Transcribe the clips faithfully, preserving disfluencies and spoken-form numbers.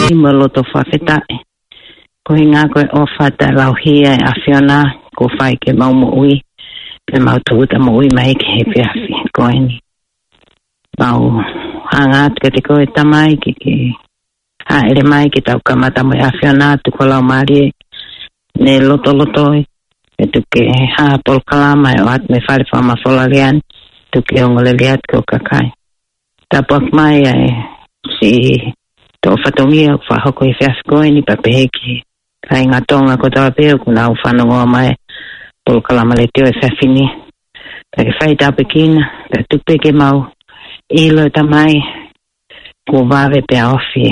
ʻEiki mo e loto fakafetaʻi. Ko e ʻuhinga ko e ʻofa taʻelauhia ʻa e ʻAfiona kuo fai ki heʻemau moʻui, pea mau tūʻuta moʻui mai ki he efiafi ko eni. Mau hanga atu kiate koe Tamai ke ke hāʻele mai ke tau kamata mo e ʻAfiona, tuku ho Laumālie ke ne lotolotoi, pea tuku ke hā ha polokalama ʻe ʻoatu mei he fale fakamafola lelei ni, tuku ke ongo lelei atu ki ho kakai. Tāpuaki mai ʻa e siʻi toʻo fatongia ʻoku fakahoko he efiafi ko eni, pea pehē ki he kāinga Tonga kotoa pē ʻoku nau fanongo mai he polokalama letiō he efiafi ni. Pea ke fai tāpuekina, pea tuku pē ke mau ʻilo Tamai, kuo vave pea ofi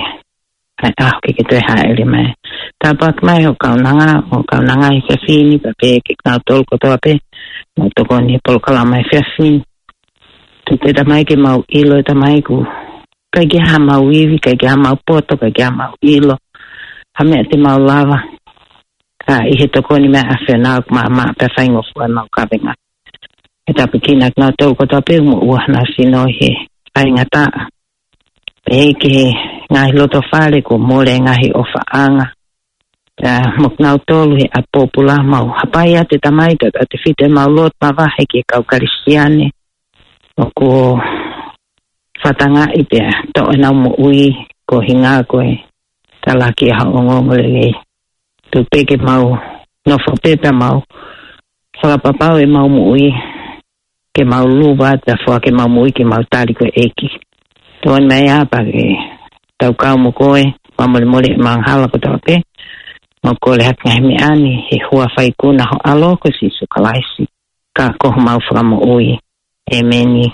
ʻa e ʻaho ke ke toe hāʻele mai. Tāpuaki mai ho kaunanga, ho kaunanga he efiafi ni, pea pehē kiate kinautolu kotoa pē ʻoku nau tokoni he polokalama he efiafi ni. Tuku pē Tamai ke mau ʻilo Tamai ʻoku ʻikai ke ʻi ai haʻamau ivi, ʻikai ke ʻi ai haʻamau poto, ʻikai ke ʻi ai haʻamau ʻilo ha meʻa te mau lava, ka ʻi he tokoni mai ʻa e ʻAfiona ʻoku maʻamaʻa pea faingofua ʻemau kavenga. Ke tāpuekina kinautolu kotoa pē ʻoku moʻua honau sino ʻi he faingataʻa, pehē ki he ngaahi lotofale kuo mole e ngaahi ʻofaʻanga, pea mo kinautolu he ʻapi pōpula. Mau hapai atu Tamai, tautautefito ʻemau lotu mavahe ki he kau Kalisitiane ʻoku fatangaʻi pea toʻo ʻenau moʻui koeʻuhinga ko e talaki ʻa hoʻo ongoongolelei. Tuku pē ke mau nofo pē pea mau fakapapauʻi ʻemau moʻui, ke mau luva atu pea foaki ʻemau moʻui ke mau tali koe ʻEiki. Tokoni mai ā pea ke tau kau mo koe, fakamolemole ʻemau angahala kotoa pē. Mau kole atu ngaahi meʻa ni he huafa ikuna ho ʻAlo ko Sīsū Kalaisi, ka ko homau Fakamoʻui. ʻĒmeni.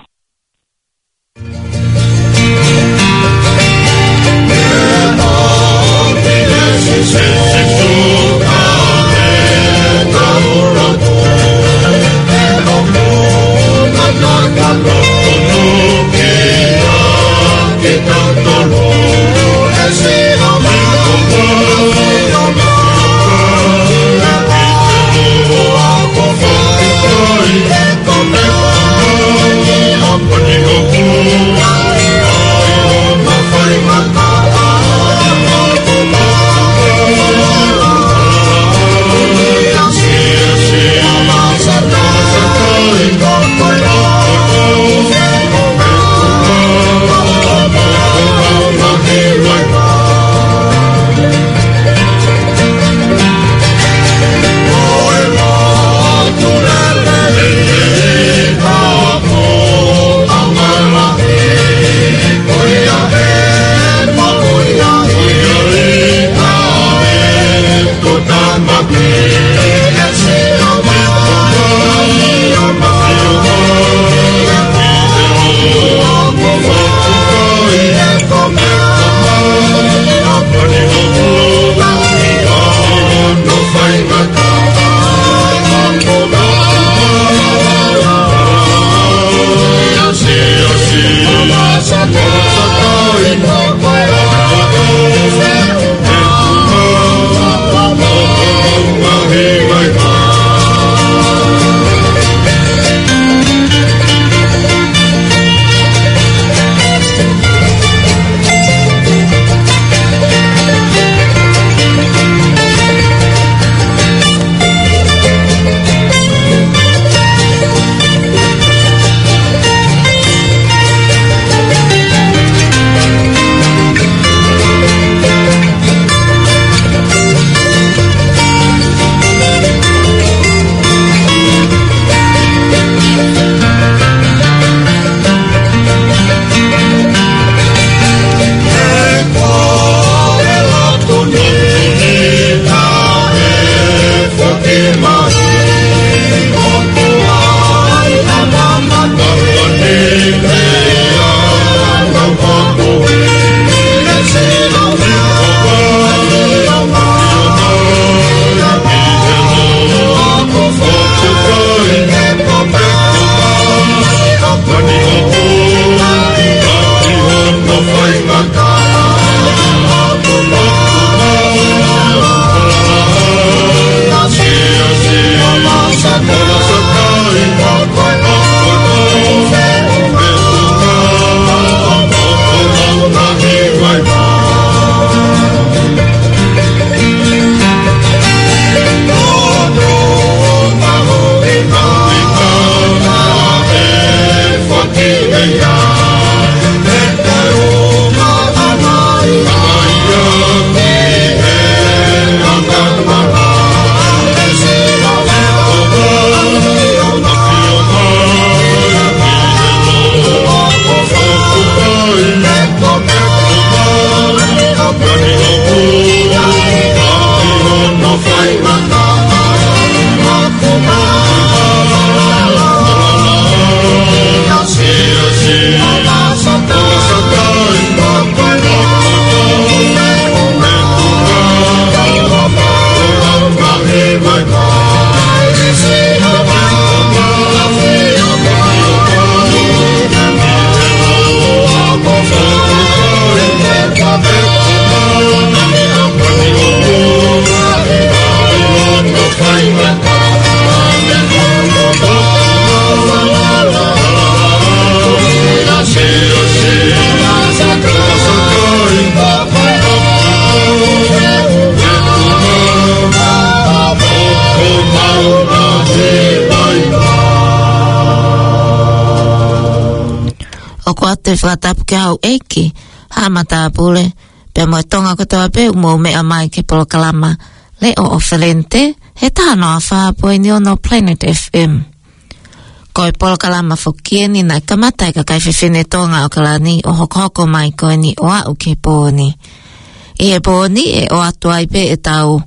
Fakatapu ki he houʻeiki, haʻa matāpule, pea mo e Tonga kotoa pē ʻoku mou meʻa mai ki he polokalama Leʻo ʻo Felente, he taha noa fā poini ono Planet F M. Ko e polokalama foki eni naʻe kamata ʻe he kakai fefine Tonga ʻAokalani ʻo hokohoko mai ko eni ʻo aʻu ki he pō ni. ʻI he pō ni ʻe ʻoatu ai pē ʻetau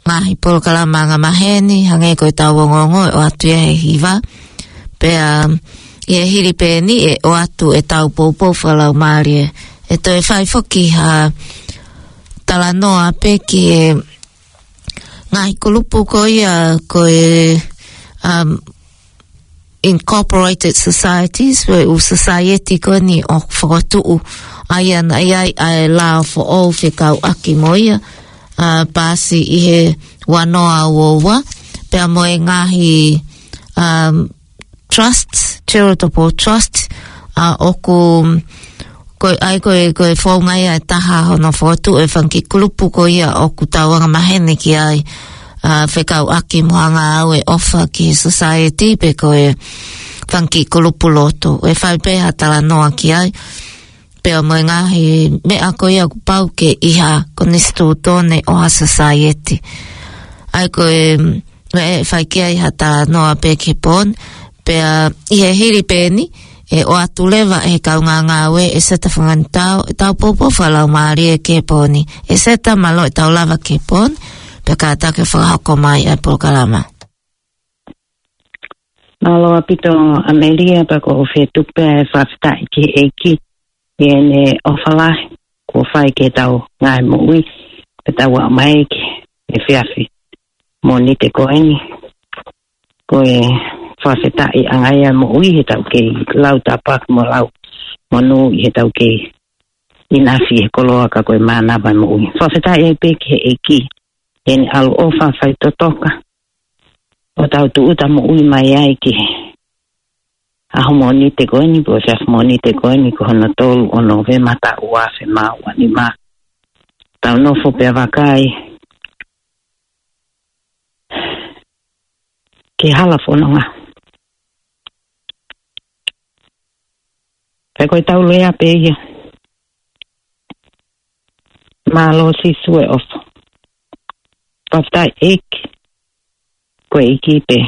ngaahi polokalama angamaheni, hangē ko ʻetau ongoongo ʻe ʻoatu ia he hiva. Pea ʻi he hili pē eni ʻe ʻoatu ʻetau poupou fakalaumālie. ʻE toe fai foki ha talanoa pē ki he ngaahi kulupu ko ia ko e, um, incorporated societies, ko e ʻū society ko eni ʻoku fokotuʻu ai ʻa ia naʻe ʻi ai ʻa e lao foʻou fekauʻaki mo ia, ʻa, paasi ʻi he ua noa ua ua, pea mo e ngaahi, um, trusts, charitable trusts, ʻa, ʻoku, ko e, ʻa ia ko e, ko e founga ia ʻe taha hono fokotuʻu e fanga kiʻi kulupu ko ia ʻoku tau angamaheni ki ai, ʻa, fekauʻaki mo e anga ʻo e ʻofa ki he society pe ko e fanga kiʻi kulupu lotu. ʻE fai pē ha talanoa ki ai. Pea mo e ngaahi meʻa ko ia ʻoku pau ke ʻi ha konisitūtone ʻo ha society. ʻA ia ko e, ʻe fai ki ai ha talanoa pē ki he pō ni, pea ʻi he hili pē eni, ʻe ʻoatu leva ʻe he kaungāngāue ʻEseta Fanganitau, ʻetau poupou fakalaumālie ki he pō ni. ʻEseta, mālō ʻetau lava ki he pō ni, pea kātaki ʻo fakahoko mai ʻa e polokalama. Mālō ʻaupito ʻAmelia, pea ʻoku ou fie tuku pē ʻa e fakafetaʻi ki he ʻEiki, ʻi heʻene ʻofa lahi kuo fai ki heʻetau ngaahi moʻui, pea tau aʻu mai ki he efiafi Mōnite ko eni. Ko e fakafetaʻiʻanga ia moʻui heʻetau kei lau tāpuaki mo lau monū ʻi heʻetau kei ʻinasi he koloa ka ko e mānava moʻui. Fakafetaʻi ai pē ki he ʻEiki, heʻene ʻaloʻofa faitotoka, ʻo tau tūʻuta moʻui mai ai ki he ʻaho Mōnite ko eni, pe ko e efiafi Mōnite ko eni, ko hono tolu ʻo Nōvema taʻu ua afe mā ua nima. Tau nofo pea vakai ki he hala fononga. Pea ko ʻetau lea pē ia. Mālō Sīsū e ʻofa. Fakafetaʻi ʻEiki, ko e ʻEiki pē.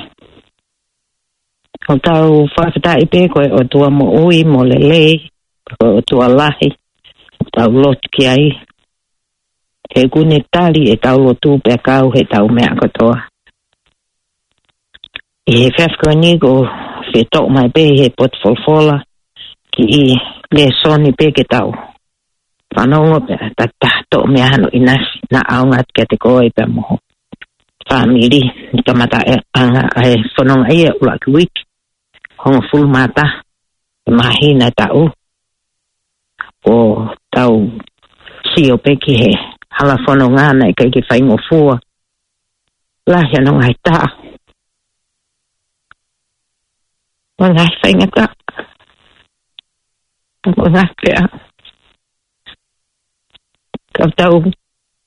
ʻOku tau fakafetaʻi pē ko e ʻOtua moʻui mo lelei, ko e ʻOtua lahi ʻoku tau lotu ki ai. He ʻoku ne tali ʻetau lotu pea kau heʻetau meʻa kotoa. ʻI he efiafi ko eni ʻoku ou fie toʻo mai pē ʻi he potu folofola kiʻi lēsoni pē ke tau fanongo pea ta ta toʻo mei ai hano ʻinasi naʻa ʻaonga atu kiate koe pea mo ho fāmili. Ni kamata e anga ʻa e fononga ia ʻuluaki uike hongofulu mā taha ʻo e māhina ʻe taʻu. ʻOku tau sio pē ki he hala fononga naʻe ʻikai ke faingofua. Lahi hono ngaahi tā. Mo e ngaahi faingataʻa. Mo e ngaahi peʻa. Ka tau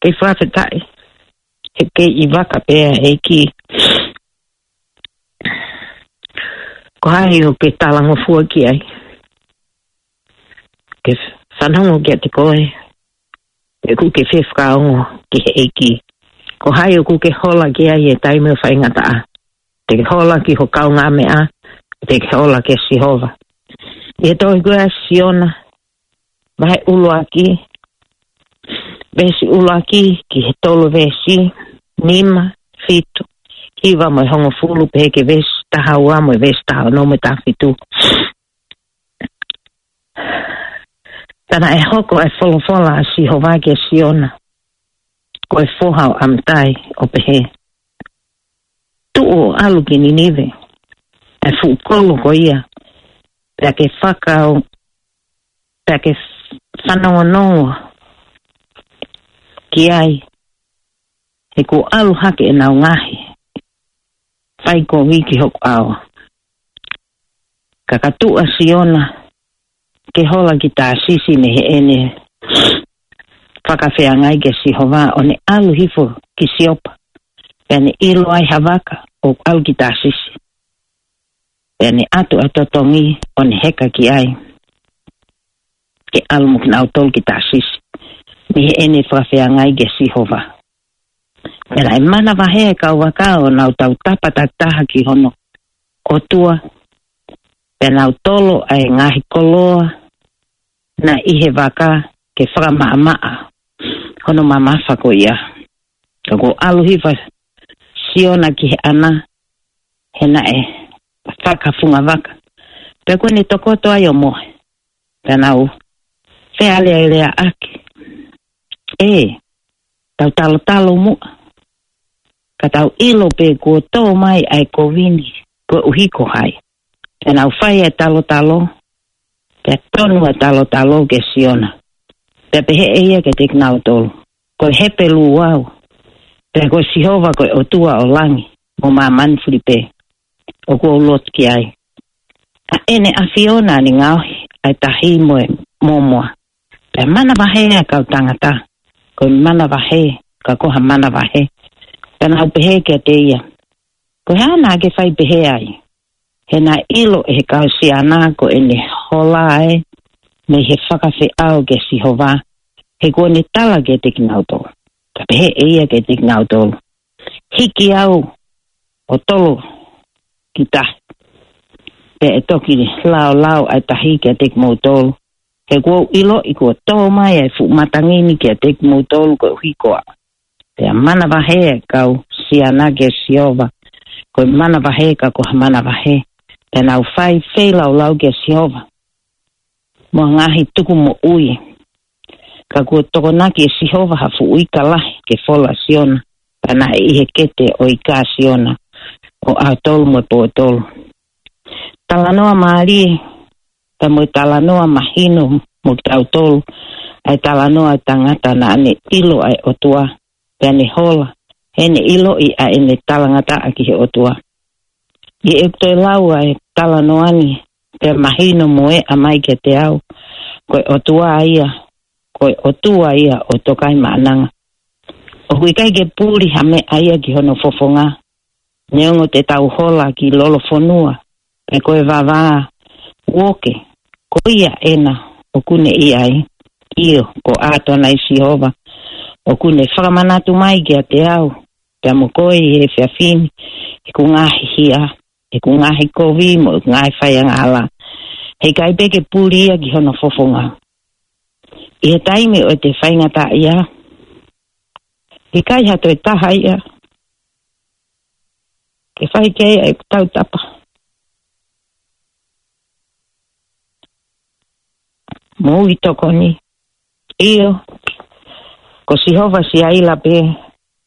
kei fakafetaʻi. He kei ʻi vaka pē ʻa e ʻEiki. Ko hai ʻoku ke talangofua ki ai? Ke fanongo kiate koe. He ʻoku ke fefakaongo ki he ʻEiki. Ko hai ʻoku ke hola ki ai he taimi ʻo e faingataʻa? Te ke hola ki ho kaungāmeʻa, te ke hola kia Sihova. ʻI he tohi ko ia ʻa Siona, vahe ʻuluaki, veesi ʻuluaki ki he tolu, veesi nima, fitu, hiva mo e hongofulu, pehē ki he veesi taha ua mo e veesi taha ono mo e taha fitu. Pea naʻe hoko ʻa e folofola ʻa Sihova kia Siona, ko e foha ʻo ʻAmitai, ʻo pehē: Tuʻu ʻo ʻalu ki Ninive, ʻa e fuʻu kolo ko ia, pea ke fakao, pea ke fanongonongo ki ai, he kuo ʻalu hake ʻenau ngaahi faikovi ki hoku ʻao. Ka ka tuʻu ʻa Siona ke hola ki Tāsisi mei heʻene fakafeangai kia Sihova, ʻo ne ʻalu hifo ki Siopa, pea ne ʻilo ai ha vaka ʻoku ʻalu ki Tāsisi. Pea ne ʻatu ʻa e totongi ʻo ne heka ki ai. ʻe ʻalu mo kinautolu ki Tāsisi, mei heʻene fakafeangai kia Sihova. Pea naʻe manavahē ʻa e kau vaka ʻo nau tautapa takitaha ki hono ʻOtua, pea nau tolo ʻa e ngaahi koloa naʻe ʻi he vaka ke fakamaʻamaʻa hono mamafa ko ia. Ka kuo ʻalu hifo ʻa Siona ki he ʻana, he naʻe fakafunga vaka, pea kuo ne tokoto ai ʻo mohe. Pea nau fealēleaʻaki, ē, tau talotalo muʻa, ka tau ʻilo pē kuo tō mai ʻa e kovi ni koeʻuhi ko hai. Pea nau fai ʻa e talotalo, pea tonu ʻa e talotalo kia Siona. Pea pehē ʻe ia kiate kinautolu, Ko e Hepelū au, pea ko Sihova ko e ʻOtua ʻo langi mo māmani fuli pē ʻoku ou lotu ki ai. ʻA ʻEne ʻAfio naʻa ne ngaohi ʻa e tahi mo e mōmoa. Pea manavahē ʻa e kau tangata, ko e manavahē ka ko ha manavahē. Pea nau pehē kiate ia, Ko e hā naʻa ke fai pehē ai? He naʻe ʻilo ʻe he kau Siona ko ʻene hola ē mei he fakafeʻao kia Sihova, he kuo ne tala kiate kinautolu. Ka pehē ʻe ia kiate kinautolu, Hiki au ʻo tolo ki tahi, pea ʻe toki laolao ʻa e tahi kiate kimoutolu, he kuo u ʻiloʻi kuo tō mai ʻa e fuʻu matangi ni kiate kimoutolu koeʻuhi ko au. Pea manavahē ʻa e kau Siona kia Sihova, ko e manavahē ka ko ha manavahē. Pea nau fai feilaulau kia Sihova mo e ngaahi tukumoʻui. Ka kuo tokonaki ʻe Sihova ha fuʻu ika lahi ke fola ʻa Siona, pea naʻe ʻi he kete ʻo e ika ʻa Siona ʻo ʻaho tolu mo e pō tolu. Talanoa mālie, pea mo e talanoa mahino mo kitautolu, ʻa e talanoa ʻa e tangata naʻa ne ʻilo ʻa e ʻOtua, pea ne hola, he ne ʻiloʻi ʻa ʻene talangataʻa ki he ʻOtua. ʻI heʻeku toe lau ʻa e talanoa ni, pea mahino mo e ʻomai kiate au, ko e ʻOtua ia, ko e ʻOtua ia ʻo Tokaimaʻananga. ʻOku ʻikai ke puli ha meʻa ia ki hono fofonga, neongo te tau hola ki lolofonua, pe ko e vavā uoke, ko ia ena ʻoku ne ʻi ai. ʻIo, ko ʻAtonai Sihova ʻoku ne fakamanatu mai kiate au, pea mo koe ʻi he efiafi ni, ʻeku ngaahi hia, ʻeku ngaahi kovi mo ʻeku ngaahi faiangahala. He ʻikai pē ke puli ia ki hono fofonga. ʻI he taimi ʻo ʻete faingataʻaʻia, ʻikai ha toe taha ia ke fai ki ai ʻeku tautapa mo e tokoni. ʻIo, ko Sihova Siaila pē,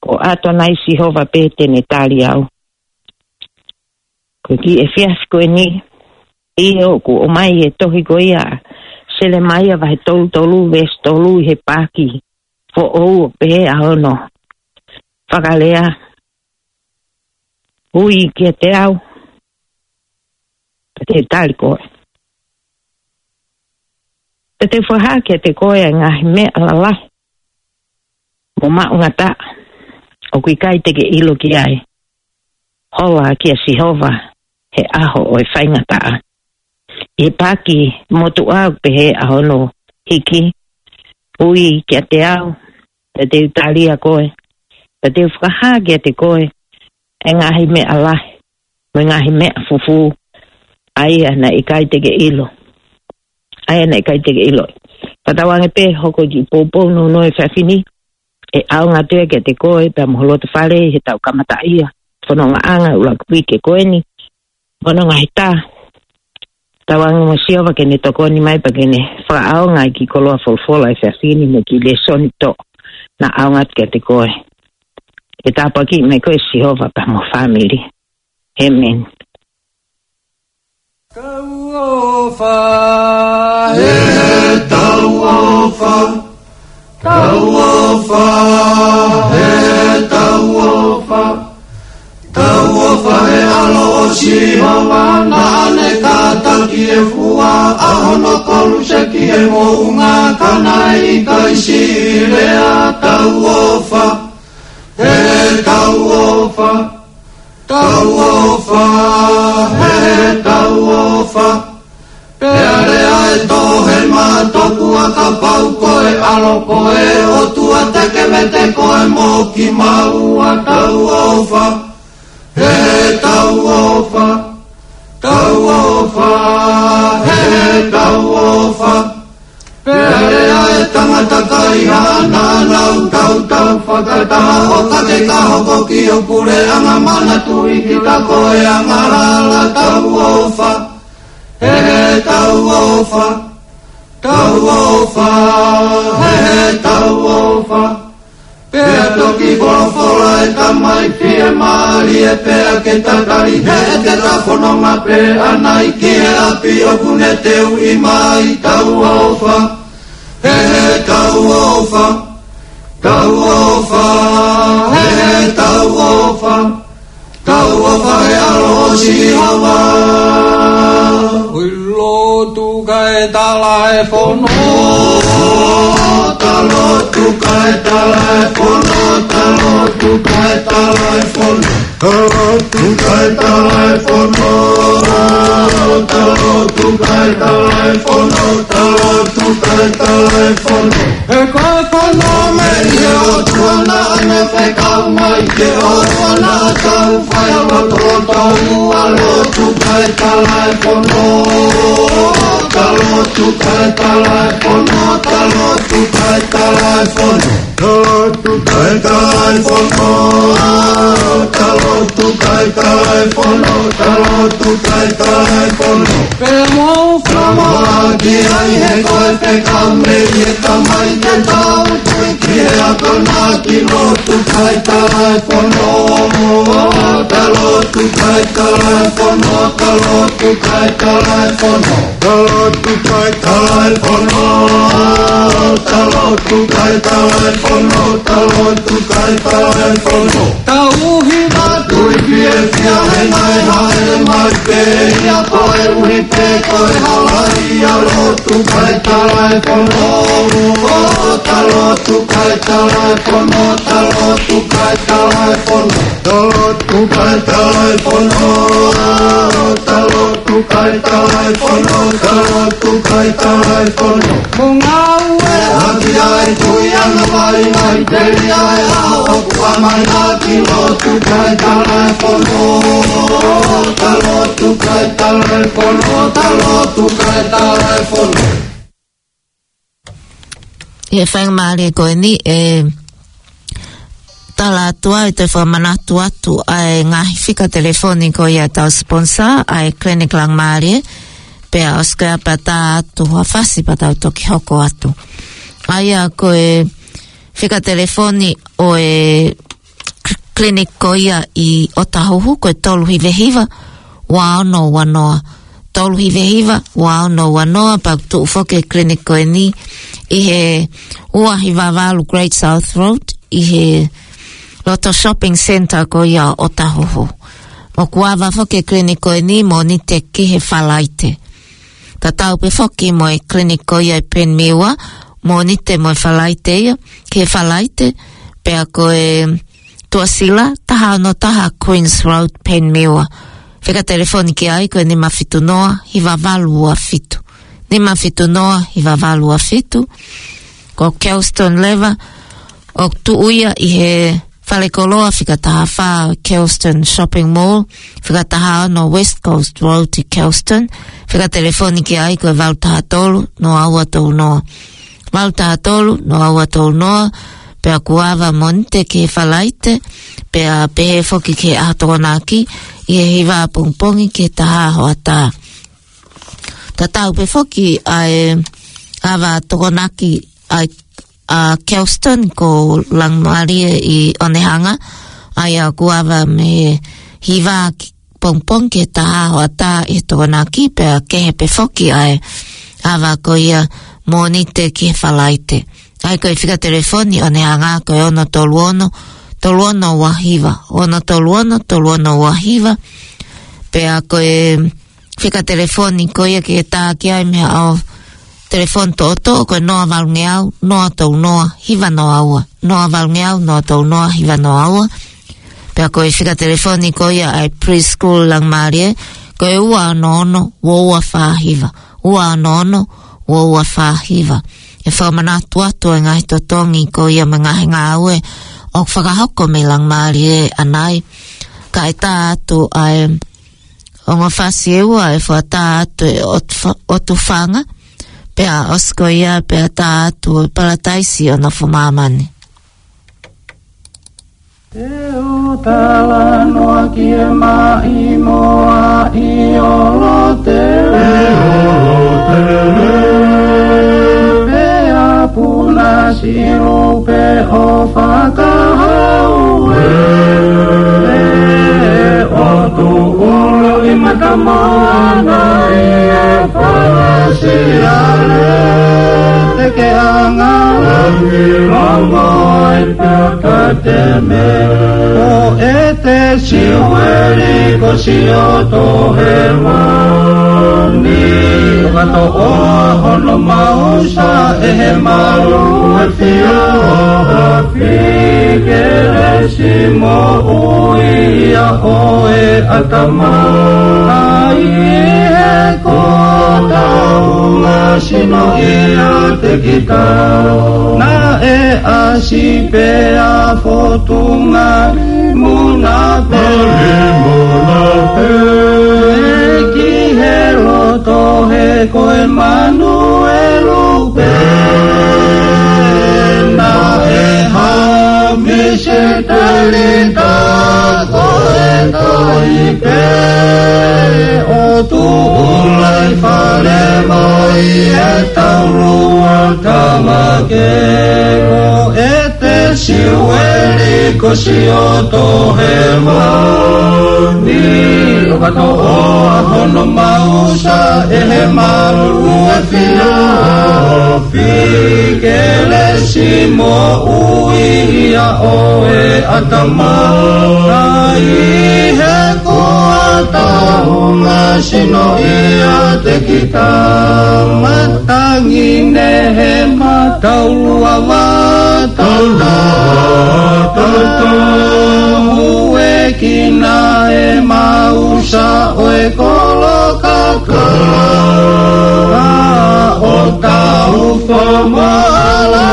ko ʻAtonai Sihova pē te ne tali au. Ko e kiʻi efiafi ko eni, ʻio, kuo ʻomai e tohi ko ia, Selemaia vahe tolu tolu, veesi tolu, ʻi he paaki foʻou ʻo pehē ʻa hono fakalea, Ui kiate au, pea te u tali koe, pea te u fakahā kiate koe ʻa e ngaahi meʻa lalahi mo maʻungataʻa ʻoku ʻikai te ke ʻilo ki ai. Hola kia Sihova he ʻaho ʻo e faingataʻa. ʻI he paaki motuʻa ʻoku pehē ʻa hono hiki, Ui kiate au, pea te u tali ʻa koe, pea te u fakahā kiate koe ʻa e ngaahi meʻa lahi mo e ngaahi meʻa fufū, ʻa ia naʻe ʻikai te ke ʻilo, ʻa ia naʻe ʻikai te ke ʻilo. Pea tauange pē hoko e kiʻi poupou nounou ʻo e efiafi ni, ʻe ʻaonga atu ia kiate koe pea mo ho loto fale ʻi heʻetau kamataʻia e fonongaʻanga ʻo e ʻuluaki uike ko eni, mo hono ngaahi tā. Tauange mo Sihova ke ne tokoni mai pea ke ne fakaʻaonga e kiʻi koloa folofola ʻo e efiafi ni mo e kiʻi lēsoni toʻo naʻa ʻaonga atu kiate koe. ʻE tāpuakiʻi mai koe ʻe Sihova pea mo ho fāmili. ʻĒmeni. Tauʻofa, he tauʻofa. Tauʻofa, he tauʻofa. Tauʻofa he ʻAlo ʻo Sihova naʻa ne kātaki e fua ʻa hono koluse ki he moʻunga ka naʻe ʻikai siʻi lea. Tauʻofa, he tauʻofa. Tauʻofa, he tauʻofa. Pea lea e toʻohema tokua Kapau ko e ʻAlo ko e ʻOtua, te ke vete koe mo kimaua. Tau ʻofa, he tau ʻofa, tau ʻofa, he tau ʻofa. Pea lea e tangata kai haʻana nau tautau fakataha, ʻo ka ke ka hoko ki ho puleʻanga, manatuʻi kita ko e angahala. Tau ʻofa, he tau ʻofa, tau ʻofa, he tau ʻofa. Pea toki folofola e tamai fiemālie, pea ke tatali, he ʻe ke ka fononga pē ʻanai ki he ʻapi ʻoku ne teuʻi mai. Tau ʻofa, he tau ʻofa, tau ʻofa, he tau ʻofa. Tau ʻofa he ʻAlo ʻo Sihova. ʻOi, lotu kae tala e fono. Ta lotu kae tala e fono. Ta lotu kae tala e fono. Ta lotu kae tala e fono. Ta lotu kae tala e fono. Ta lotu kae tala e fono. He ko e fono mei he ʻOtua naʻa ne fekau mai ke ʻoua naʻa tau fai ʻa loto ʻo tau ua. Lotu kae tala e fono. Ta lotu kae tala e fono. Ta lotu kae tala e fono. Ta lotu kae tala e fono. Ta lotu kae tala e fono. Ta lotu kae tala e fono. Pea mou fakamoʻoni ai he ko e fekau mei he Tamai ke tau tui ki he akonaki. Lotu kae tala e fono. Ta lotu kae tala e fono. Ta lotu kae tala e fono. Ta lotu kae tala e fono. Ta lotu kae tala e fono. Ta lotu kae tala e fono. Tau hiva tui fiefia he mai haʻele mai pē ia koeʻuhi pē ko e hala ia. Lotu kae tala e fono. Ta lotu kae tala e fono. Ta lotu kae tala e fono. Ta lotu kae tala e fono. Ta lotu kae tala e fono. Ta lotu kae tala e fono. Mo ngāue ʻaki ai tui ʻa e vaivai telia ʻa e ʻaho ʻoku ʻamanaki. Lotu kae tala e fono. Ta lotu kae tala e fono. Ta lotu kae tala e fono. ʻI he faingamālie ko eni, ʻe tala atu ai, toe fakamanatu atu ʻa e ngaahi fika telefoni ko ia ʻetau sponsor, ʻa e Clinic Langmālie, pea ʻosi ko ia pea tā atu ha fasi pea tau toki hoko atu. ʻA ia ko e fika telefoni ʻo e clinic ko ia ʻi ʻOtahuhu, ko e tolu hiva hiva, ua ono ua noa. Tolu hiva hiva, ua ono ua noa, pea ʻoku tuʻu foki e clinic ko eni ʻi he ua hiva valu Great South Road, ʻi he loto shopping centre ko ia ʻOtahuhu. ʻOku ava foki e clinic ko eni Mōnite ki he Falaite. Tatau pē foki mo e clinic ko ia ʻi Penmiwa, Mōnite mo e Falaite ia, ki he Falaite, pea ko e Tuʻasila, taha ono taha Queens Road, Penmiwa. Fika telefoni ki ai ko e nima fitu noa, hiva valu ua fitu. Nima fitu noa, hiva valu ua fitu. Ko Kelston leva, ʻoku tuʻu ia ʻi he falekoloa fika taha fā Kelston Shopping Mall, fika taha ono West Coast Road ʻi Kelston. Fika telefoni ki ai ko e valu taha tolu, noa ua tolu noa. Valu taha tolu, noa ua tolu noa, pea ʻoku ava Mōnite ki he Falaite, pea pehē foki ki he ʻaho Tokonaki, ʻi he hiva pongipongi ki he taha hoʻatā. Tatau pē foki ʻa e ava Tokonaki ʻa, ʻa Kelston ko Langmālie ʻi ʻOnehunga, ʻa ia ʻoku ava mei he hiva ki, pongipongi ki he taha hoʻatā ʻi he Tokonaki, pea kehe pē foki ʻa e ava ko ia Mōnite ki he Falaite. ʻA ia ko e fika telefoni ʻo ʻOnehunga ko e ono tolu ono, tolu ono ua hiva, ono tolu ono, tolu ono ua hiva, pea ko e fika telefoni ko ia ke tā ki ai mei he ʻao telefoni toʻotoʻo ko e noa valungeau, noa tolu noa, hiva noa ua. Noa valungeau, noa tolu noa, hiva noa ua. Pea ko e fika telefoni ko ia ʻa e preschool Langmālie, ko e ua ono ono, ua ua fā hiva. Ua ono ono, ua ua fā hiva. ʻe fakamanatu atu e ngaahi totongi ko ia mo e ngaahi ngāue ʻoku fakahoko mei Laumālie ʻanai. Kae tā atu ʻa e ongo fasi ʻe ua ʻe fakatā atu e ʻOtu-, ʻOtufanga, pea ʻosi ko ia pea tā atu e Palataisi ʻo Nofo Māmani. Te u talanoa ki he maʻimoa ʻi ʻOlotele. ʻI ʻOlotele. Pea puna silu pe ʻo fakahau e. ʻOtu ʻulo ʻi mata moana ʻi he fasi ale. Te ke anga langi longo ai pea ka te me. Ko ʻEte Siueli ko Sioto Hemani. Ka toʻo hono mausa ʻe he malu ʻe fio. Fī kelesi moʻui ia ʻo e ʻatamai. ʻAi he ko taunga sino ia te kita. Naʻe ʻasi pea fotunga muna pē. Muna pē. Ki he loto he ko e Manuelu pē. Naʻe ha misiteli tā ko e tohi pē. ʻOtu ʻulo ʻi fale mai e taulua tamake. Ko ʻEte Siueli ko Sioto Hemani. Ka toʻo hono mausa ʻe he malu ʻe fio. Fī kelesi moʻui ia ʻo e ʻatamai. ʻAi he ko taunga sino ia te kita. Matangi ne he mataulua vata. Tau, tau, tau. Uekina e mausa ʻo e kolo kakala. ʻO tau fo mo ala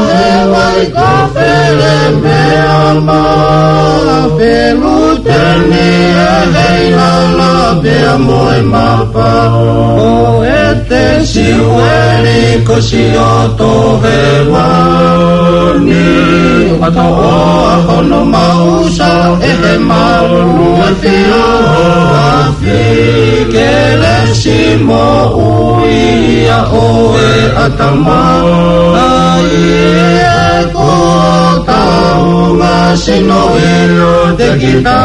he vai ka fele mea ma. Peluteni e heilala pea mo e mapa. ʻO ʻEte Siueli ko Sioto Hemani. Ka toʻo hono mausa ʻe he malu ʻe fio. Fī kelesi moʻui ia ʻo e ʻatamai. ʻAi he ko taunga sino ia te kita.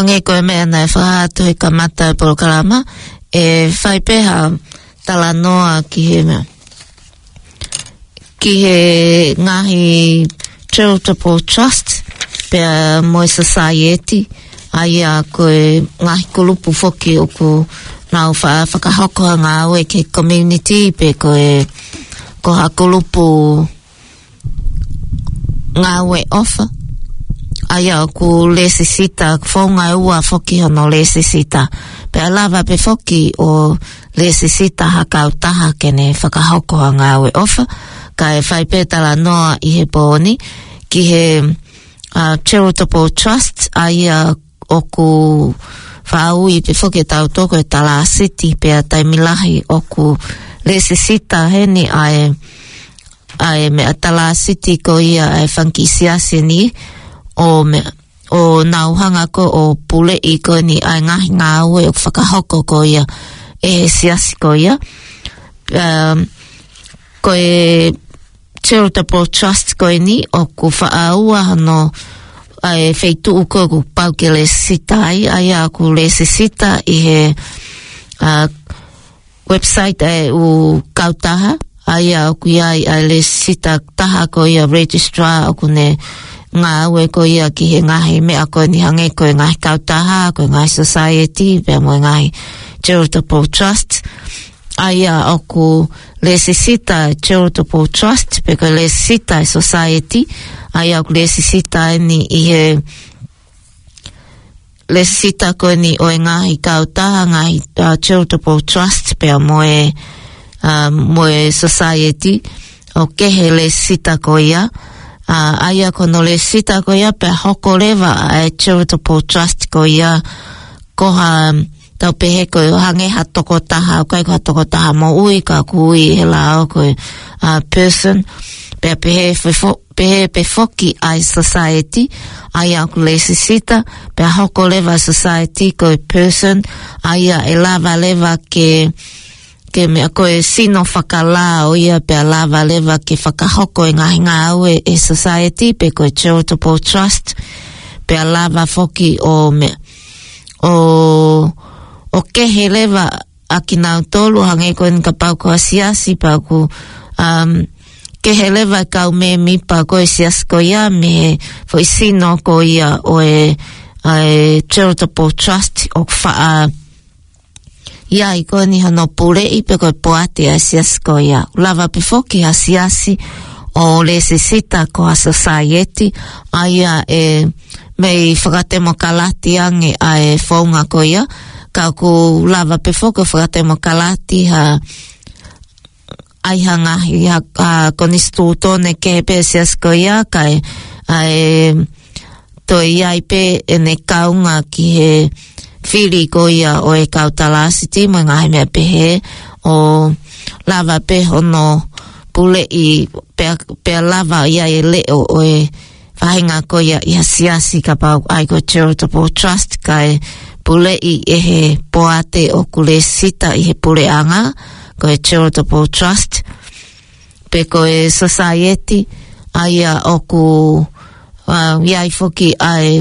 Hangē ko e meʻa naʻe fakahā atu he kamata e polokalama, ʻe fai pē ha talanoa ki he meʻa, ki he ngaahi charitable trust, pea mo e society, ʻa ia ko e ngaahi kulupu foki ʻoku nau fa-, fakahoko ha ngāue ki he community, pe ko e, ko ha kulupu ngāue ʻofa. ʻA ia ʻoku lēsisita, founga ʻe ua foki hono lēsisita. Pea lava pē foki ʻo lēsisita ha kautaha ke ne fakahoko ha ngāue ʻofa. Kae fai pē talanoa ʻi he pō ni ki he, uh, charitable trust, ʻa ia ʻoku faʻa ui pē foki ʻe tautolu ko e talāsiti, pea taimi lahi ʻoku lēsisita heni ʻa e, ʻa e meʻa talāsiti ko ia ʻa e fanga kiʻi siasi ni, ʻo meʻa, ʻo nau hanga ko ē ʻo puleʻi ko eni ʻa e ngaahi ngāue ʻoku fakahoko ko ia ʻe he siasi ko ia. Um, ko e charitable trust ko eni ʻoku faʻa ua hono, ʻa e feituʻu ko ē ʻoku pau ke lēsisita ai, ʻa ia ʻoku lēsisita ʻi he, uh, website ʻa e ʻū kautaha, ʻa ia ʻoku ʻi ai ʻa e lēsisita taha ko ia registrar ʻoku ne ngāue ko ia ki he ngaahi meʻa ko eni hangē ko e ngaahi kautaha, ko e ngaahi society, pea mo e ngaahi charitable trust. ʻA ia ʻoku lēsisita charitable trust, pe ko e lēsisita e society, ʻa ia ʻoku lēsisita eni ʻi he lēsisita ko eni ʻo e ngaahi kautaha, ngaahi, uh, charitable trust, pea mo e, uh, mo e society, ʻoku kehe lēsisita ko ia. Uh, ʻa ia ko hono lēsisita ko ia, pea hoko leva ʻa e charitable trust ko ia, ko ha, tau pehē ko e hangē ha tokotaha, ʻoku ʻikai ko ha tokotaha moʻui, ka ʻoku ui he lao ko e, uh, person, pea pehē fefo-, pehē pē foki ʻa e society, ʻa ia ʻoku lēsisita, pea hoko leva society ko e person, ʻa ia ʻe lava leva ke, ke meʻa ko e sino fakalao ia, pea lava leva ke fakahoko e ngaahi ngāue ʻe he society, pe ko e charitable trust, pea lava foki ʻo meʻa, ʻo, ʻo kehe leva ʻa kinautolu, hangē ko eni kapau ko ha siasi pea ʻoku, um, kehe leva e kau mēmipa ko e siasi ko ia mei he foʻi sino ko ia ʻo e, ʻa e charitable trust ʻoku faʻa ʻi ai ko eni hono puleʻi pe ko e poate ʻa e siasi ko ia. Lava pē foki ha siasi ʻo lēsisita ko ha society, ʻa ia ʻe mei fakatemokalati ange ʻa e founga ko ia, ka ʻoku lava pē foki ʻo fakatemokalati ha, ʻai ha ngaahi, ha, ha konisitūtone kehe pē siasi ko ia, kae, ʻa e, toe ʻi ai pē ʻene kaunga ki he fili ko ia ʻo e kau talāsiti mo e ngaahi meʻa pehē, ʻo lava pē hono puleʻi pea, pea lava ʻi ai e leʻo ʻo e faʻahinga ko ia ʻi ha siasi kapau ʻai ko e charitable trust kae puleʻi ʻe he poate ʻoku lēsisita ʻi he puleʻanga, ko e charitable trust, pe ko e society, ʻa ia ʻoku, uh, ʻi ai foki ʻa e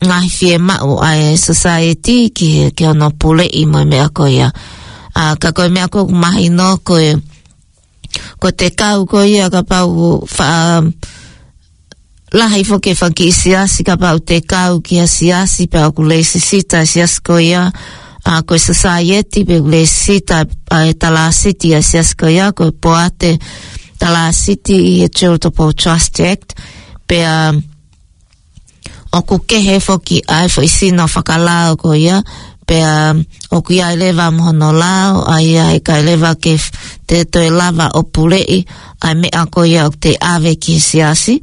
ngaahi fiemaʻu ʻa e society ki he, ki hono puleʻi mo e meʻa ko ia. Uh, ka ko e meʻa ko ē ʻoku mahino ko e, ko e tekau ko ia kapau faʻa lahi foki e fanga kiʻi siasi kapau te kau ki ha siasi pea ʻoku lēsisita e siasi ko ia, ʻa ko e society pe ʻoku lēsisita ʻa e talāsiti ʻa e siasi ko ia, ko e poate talāsiti ʻi he Charitable Trust Act, pea ʻoku kehe foki ʻa e foʻi sino fakalao ko ia, pea ʻoku ʻi ai leva mo hono lao, ʻa ia heʻikai leva ke f-, te toe lava ʻo puleʻi ʻa e meʻa ko ia ʻoku te ʻave ki he siasi.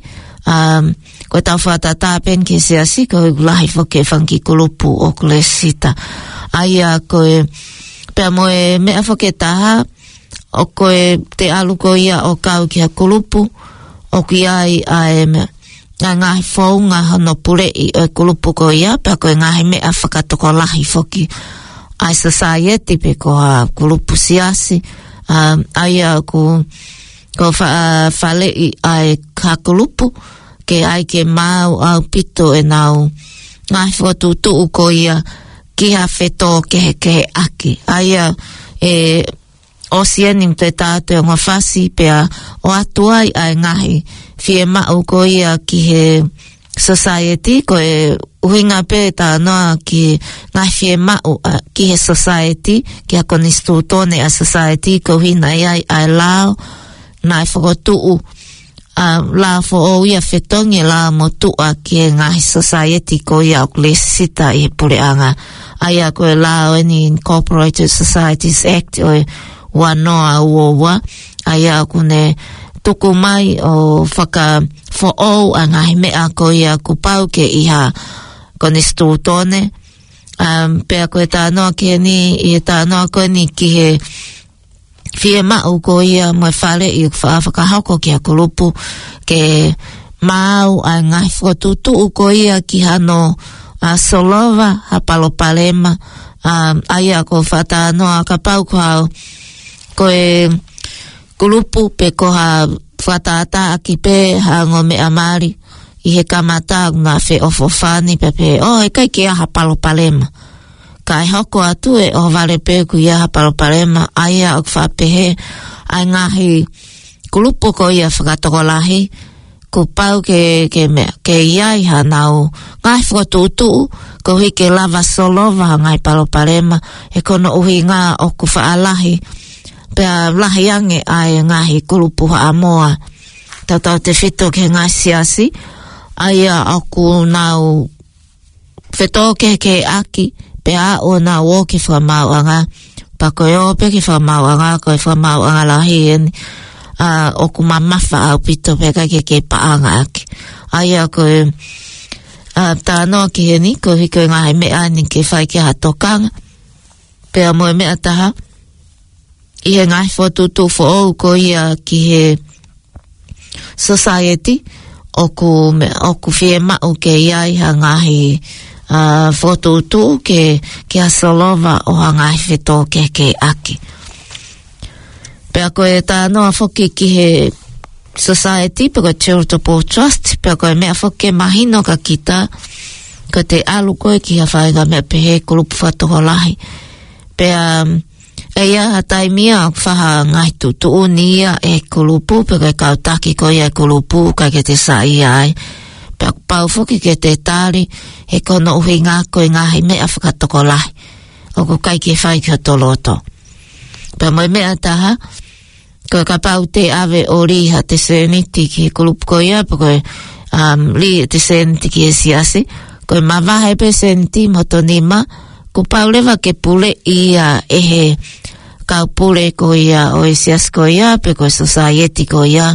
Um, ko e tau fakatātā pē eni ki he siasi, ko e lahi foki e fanga kiʻi kulupu ʻoku lēsisita. ʻA ia ko e, pea mo e meʻa foki ʻe taha, ʻoku te ʻalu ko ia ʻo kau ki ha kulupu, ʻoku ʻi ai ʻa e meʻa, ʻa e ngaahi founga hono puleʻi ʻo e kulupu ko ia, pea ko e ngaahi meʻa fakatokolahi foki ʻa e society pe ko ha kulupu siasi, um, ʻa ia ʻoku, ko fa-, faleʻi ʻa e ha kulupu, ke ʻai ke maau ʻaupito ʻenau, ngaahi fokotuʻutuʻu ko ia ki ha fetōkehekeheʻaki. ʻA ia ʻe ʻosi eni ʻoku te tātu e ongo fasi pea ʻoatu ai ʻa e ngaahi fiemaʻu ko ia ki he society, ko e ʻuhinga pē ʻe tānoa ki he ngaahi fiemaʻu ʻa, ki he society, ki ha konisitūtone ʻa e society, ko e ʻuhinga ia ʻa e lao naʻe fokotuʻu, ʻa e lao foʻou ia fetongi e lao motuʻa ki he ngaahi society ko ia ʻoku lēsisita ʻi he puleʻanga. ʻA ia ko e lao eni Incorporated Societies Act ʻo e ua noa ua ua, ʻa ia ʻoku ne tuku mai ʻo fakafoʻou ʻa e ngaahi meʻa ko ia kuo pau ke ʻi ha konisitūtone. Um, pea ko e tānoa ki heni, ʻi he tānoa ko eni ki he fiemaʻu ko ia mo e faleʻi ʻoku faʻa fakahoko ki ha kulupu ke maau ʻa e ngaahi fokotuʻutuʻu ko ia ki hano, ʻa, solova ha palopalema, um, ʻa ia ko e faʻa tānoa kapau ko ha, ko e kulupu pe ko ha fakatātāʻaki pē ha ongo meʻa mali ʻi he kamata ʻoku na feʻofoʻofani pē pē, ʻo ʻikai ke ʻi ai ha palopalema. Kae hoko atu ʻe ʻohovale pē ʻoku ʻi ai ha palopalema, ʻa ia ʻoku faʻa pehē ʻa e ngaahi kulupu ko ia fakatokolahi, kuo pau ke, ke meʻa, ke ʻi ai hanau ngaahi fokotuʻutuʻu, koeʻuhi ke lava solova ha ngaahi palopalema, he ko hono ʻuhinga ʻoku faʻa lahi, pea lahi ange ʻa e ngaahi kulupu Haʻamoa, tautautefito ki he ngaahi siasi, ʻa ia ʻoku nau fetōkehekeheʻaki, pea ʻoku nau ō ki he fakamaauʻanga, pea ko e ō pē ki he fakamaauʻanga, ko e fakamaauʻanga lahi eni, ʻa, ʻoku mamafa ʻaupito pea ʻikai ke kei paʻangaʻaki. ʻA ia ko e, ʻa, tānoa ki heni, koeʻuhi ko e ngaahi meʻa ni ke fai ki ai ha tokanga. Pea mo e meʻa ʻe taha, ʻi he ngaahi fokotuʻutuʻu foʻou ko ia ki he society, ʻoku me-, ʻoku fiemaʻu ke ʻi ai ha ngaahi, ʻa, fokotuʻutuʻu ke, ke ʻi ai ha solova ʻo ha ngaahi fetōkehekeheʻaki. Pea ko e tānoa foki ki he society, pe ko e charitable trust, pea ko e meʻa foki ke mahino kia kita, ko ʻete ʻalu koe ki ha faʻahinga meʻa pehē, kulupu fakatokolahi. Pea, um, ʻe ʻi ai ha taimi ia ʻoku faʻa ngaahi tuʻutuʻuni ia ʻe he kulupu, pe ko e kau taki ko ia ʻo e kulupu, ʻikai ke te saiʻia ai. Pea kuo pau foki ke te tali, he ko hono ʻuhinga ko e ngaahi meʻa fakatokolahi ʻoku ʻikai ke fai ki hoto loto. Pea mo e meʻa ʻe taha, ko e kapau te ʻave ʻo lī haʻate sēniti ki he kulupu ko ia, pe ko e, um, lī ʻete sēniti ki he siasi, ko e mavahe pē sēniti mo hoto nima, kuo pau leva ke puleʻi ia ʻe he kau pule ko ia ʻo e siasi ko ia, pe ko e society ko ia,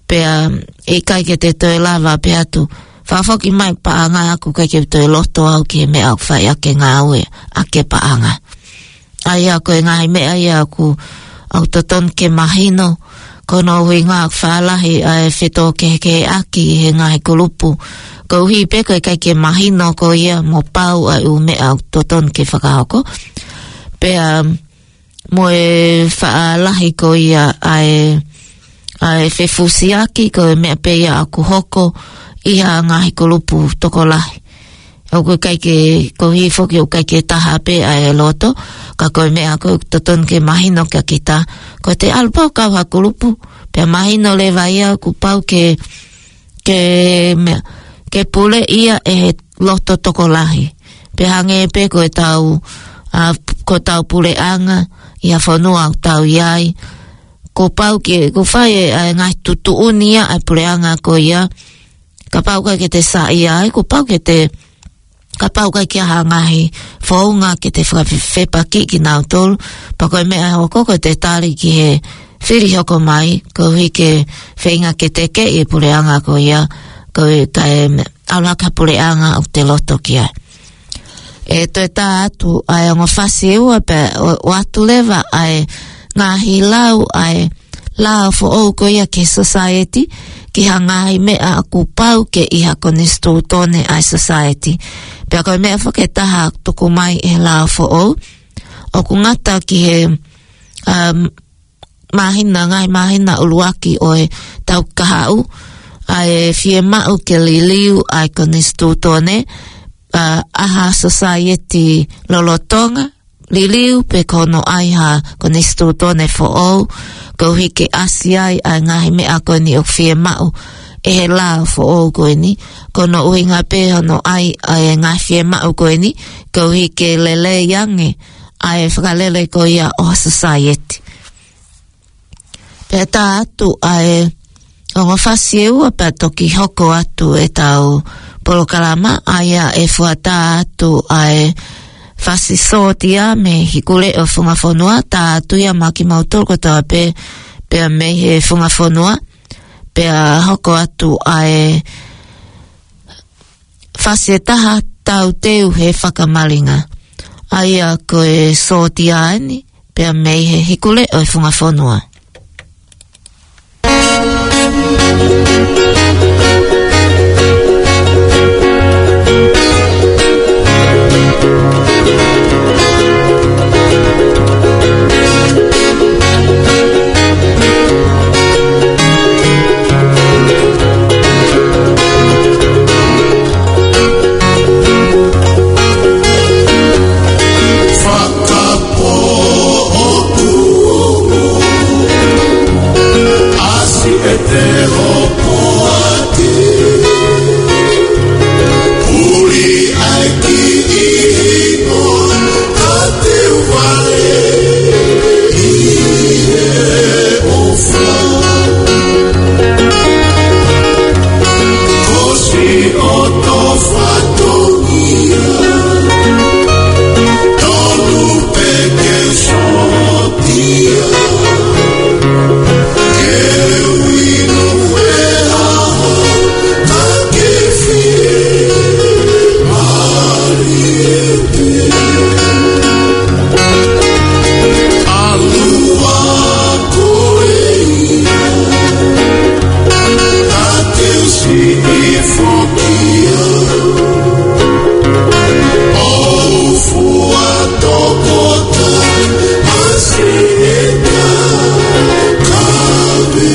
pea ʻe ʻikai ke te toe lava pē atu, fakafoki mai paʻanga ʻoku ʻikai ke u toe loto au ki he meʻa ʻoku fai ʻaki e ngāue ʻaki e paʻanga. ʻA ia ko e ngaahi meʻa ia ʻoku, ʻoku totonu ke mahino, ko hono ʻuhinga ʻoku faʻa lahi ʻa e fetōkehekeheʻaki ʻi he ngaahi kulupu. Koeʻuhi pē ko e ʻikai ke mahino ko ia mo pau ʻa e ʻū meʻa ʻoku totonu ke fakahoko. Pea mo e faʻa lahi ko ia ʻa e, ʻa e fefusiaki ko e meʻa pē ia ʻoku hoko ʻi ha ngaahi kulupu tokolahi. ʻOku ʻikai ke, koeʻuhi foki ʻoku ʻikai ke taha pē ʻa e loto, ka ko e meʻa ko ē ʻoku totonu ke mahino kia kita, ko ʻete ʻalu pē ʻo kau ha kulupu, pea mahino leva ia kuo pau ke, ke meʻa, ke puleʻi ia ʻe he loto tokolahi. Pea hangē pē ko ʻetau, ʻa, ko ʻetau puleʻanga ʻi ha fonua ʻoku tau ʻi ai, kuo pau ke, kuo fai e, ʻa e ngaahi tuʻutuʻuni ia ʻa e puleʻanga ko ia, kapau ʻikai ke te saiʻia ai, kuo pau ke te, kapau ʻikai ke ʻi ai ha ngaahi founga ke te fakafe-, fepaki kinautolu, pea ko e meʻa ʻe hoko ko ʻete tali ki he fili hoko mai, koeʻuhi ke feinga ke tekeʻi e puleʻanga ko ia, ko e kae ʻalu hake ha puleʻanga ʻoku te loto ki ai. ʻE toe tā atu ʻa e ongo fasi ʻe ua pea ʻo, ʻoatu leva ʻa e ngaahi lau ʻa e lao foʻou ko ia ki he society, ki ha ngaahi meʻa ʻoku pau ke ʻi ha konisitūtone ʻa e society. Pea ko e meʻa foki ʻe taha ʻoku tuku mai ʻe he lao foʻou, ʻoku ngata ki he, um, māhina, ngaahi māhina ʻuluaki ʻo e taʻu kahaʻu, ʻa e fiemaʻu ke liliu ʻa e konisitūtone, ʻa, ʻa ha sōsaieti lolotonga, liliu pē ko hono ʻai ha konisitūtone foʻou, koeʻuhi ke ʻasi ai ʻa e ngaahi meʻa ko eni ʻoku fiemaʻu ʻe he lao foʻou ko eni, ko hono ʻuhinga pē hono ʻai ʻa e ngaahi fiemaʻu ko eni, koeʻuhi ke lelei ange ʻa e fakalele ko ia ʻo ha sōsaieti. Pea tā atu ʻa e ongo fasi ʻe ua pea toki hoko atu ʻetau polokalama, ʻa ia ʻe fuata atu ʻa e fasi sōtia mei Hikuleʻo Funga Fonua, tā atu ia maʻa kimautolu kotoa pē, pea mei he Funga Fonua, pea hoko atu ʻa e fasi ʻe taha, Tauteu he Fakamalinga. ʻA ia ko e sōtia eni, pea mei he Hikuleʻo Funga Fonua. Fakapoʻotuʻu ʻasi ʻi he tēpile poate. Puli ʻa e kiʻi hingoa, ka te u vale ʻi he ʻofa. Ko siʻoto fatongia, tonu pē ke sōtia. Ke u inu e ʻaho, ka ke fie mālie pē. ʻAlu ā koe ia, ka te u siʻi foki au. ʻO fua tokota ʻa siʻeta kaveinga.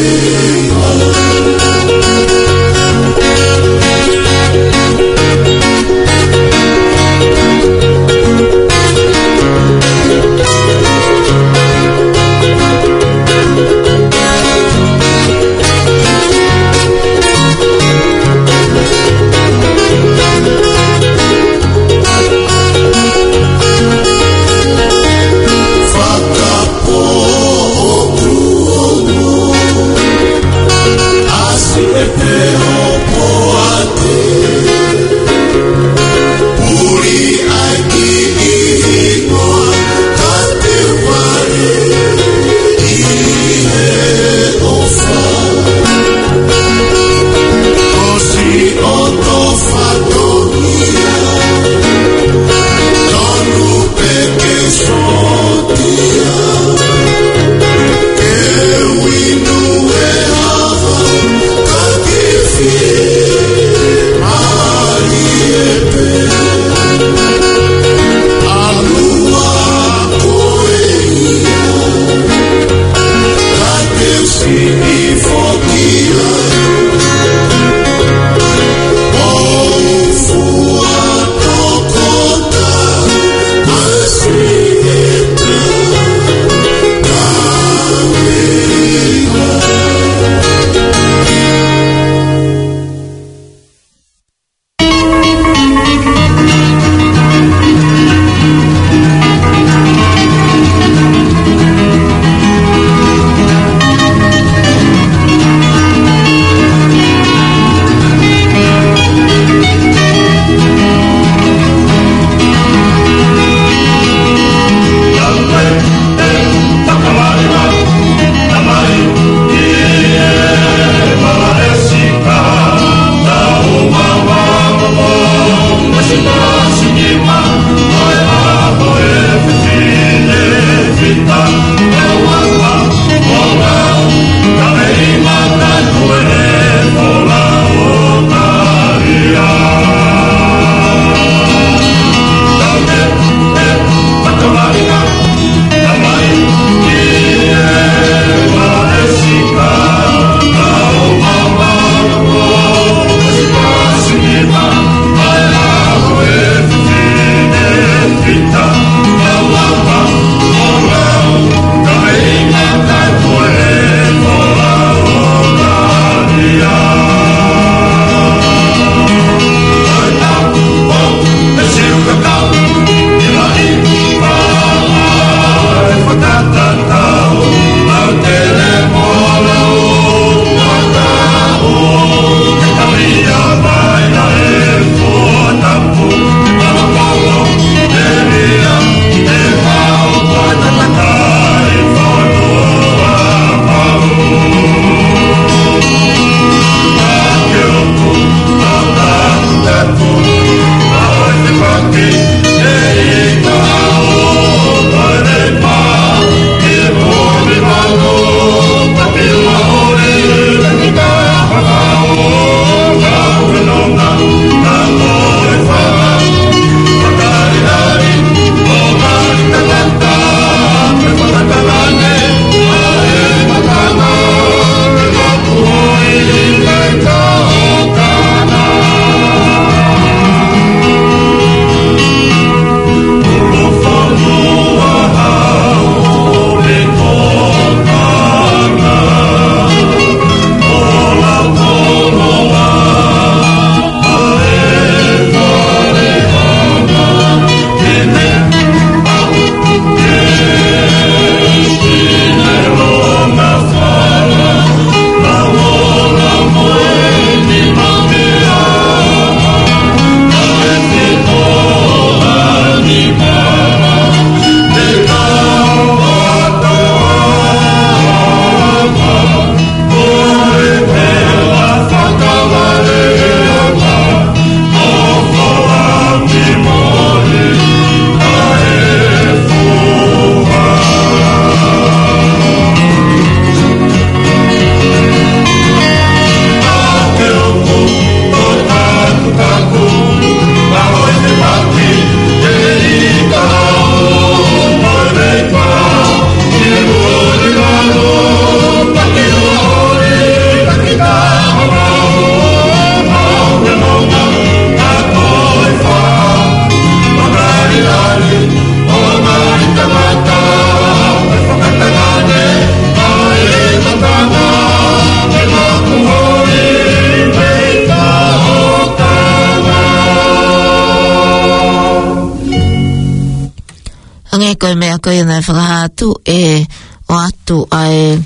Hangē ko e meʻa ko ia naʻe fakahā atu ʻe ʻoatu ʻa e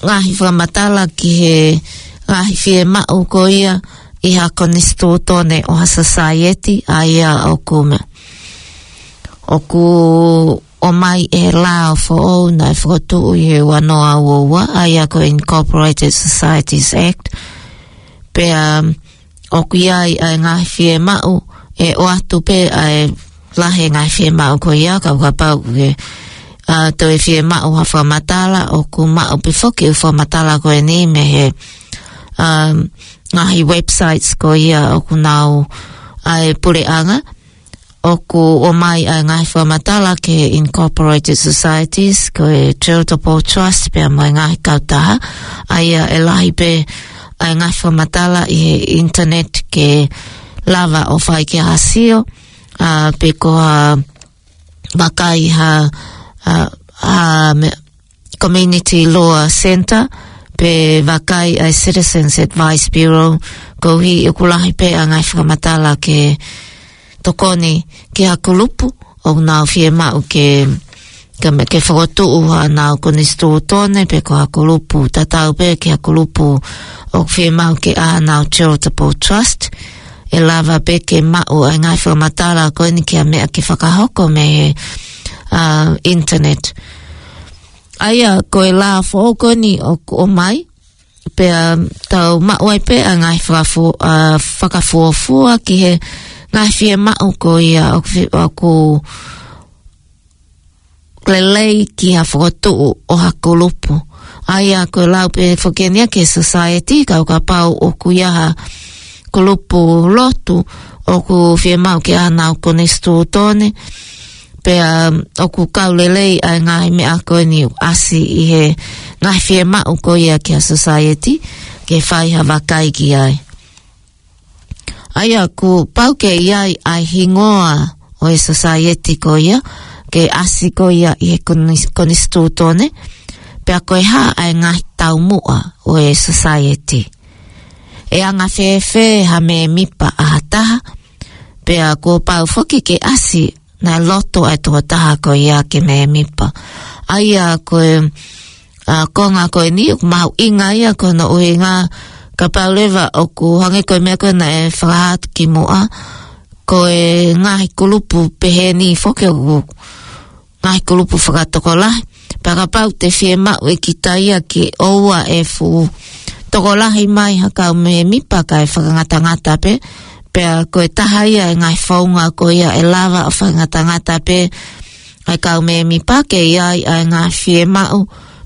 ngaahi fakamatala ki he ngaahi fiemaʻu ko ia ʻi ha konisitūtone ʻo ha society, ʻa ia ʻoku meʻa. ʻOku ʻomai ʻe he lao foʻou naʻe fokotuʻu ʻi he ua noa ua ua, ʻa ia ko e Incorporated Societies Act. Pea ʻoku ʻi ai ʻa e ngaahi fiemaʻu, ʻe ʻoatu pē ʻa e lahi e ngaahi fiemaʻu ko ia, ka ʻo kapau ke, ʻa, toe fiemaʻu ha fakamatala, ʻoku maʻu pē foki ʻa e fakamatala ko eni mei he, um, ngaahi websites ko ia ʻoku nau ʻa e puleʻanga. ʻOku ʻomai ʻa e ngaahi fakamatala ki he Incorporated Societies, ko e Charitable Trust, pea mo e ngaahi kautaha. ʻA ia ʻe lahi pē ʻa e ngaahi fakamatala ʻi he internet ke lava ʻo fai ki ha sio, ʻa, pe ko ha vakai ha, ʻa, ha me-, Community Law Centre, pe vakai ʻa e Citizens Advice Bureau, koeʻuhi ʻoku lahi pē ʻa e ngaahi fakamatala ke tokoni ki ha kulupu ʻoku nau fiemaʻu ke, ke me-, ke fokotuʻu haʻanau konisitūtone, pe ko ha kulupu tatau pē ki ha kulupu ʻoku fiemaʻu ke ʻā haʻanau charitable trust. ʻE lava pē ke maʻu ʻa e ngaahi fakamatala ko eni ki ha meʻa ke fakahoko mei he, ʻa, internet. ʻA ia ko e lao foʻou ko eni ʻoku ʻomai, pea tau maʻu ai pē ʻa e ngaahi fakafu-, ʻa, fakafuofua ki he ngaahi fiemaʻu ko ia ʻoku fi-, ʻoku lelei ki ha fokotuʻu ʻo ha kulupu. ʻA ia ko e lau pē foki eni ia ki he society, ka ʻo kapau ʻoku ʻi ai ha kulupu lotu ʻoku fiemaʻu ke ʻā haʻanau konisitūtone, pea ʻoku kau lelei ʻa e ngaahi meʻa ko eni ʻoku ʻasi ʻi he ngaahi fiemaʻu ko ia ki ha society, ke fai ha vakai ki ai. ʻA ia kuo pau ke ʻi ai ʻa e hingoa ʻo e society ko ia, ke ʻasi ko ia ʻi he konis-, konisitūtone, pea ko e hā ʻa e ngaahi taumuʻa ʻo e society. ʻE anga fēfē ha mēmipa ʻa ha taha, pea kuo pau foki ke ʻasi naʻe loto ʻa e tokotaha ko ia ke mēmipa. ʻA ia ko e, ʻa, konga ko eni ʻoku mahuʻinga ia ko hono ʻuhinga kapau leva ʻoku hangē ko e meʻa ko ē naʻe fakahā atu kimuʻa, ko e ngaahi kulupu pehē ni foki ʻoku ngaahi kulupu fakatokolahi. Pea kapau te fiemaʻu ʻe kita ia ke ʻoua ʻe fuʻu tokolahi mai ha kau mēmipa kae fakangatangata pē, pea ko e taha ia e ngaahi founga ko ia ʻe lava ʻo fakangatangata pē ʻa e kau mēmipa ke ʻi ai ʻa e ngaahi fiemaʻu,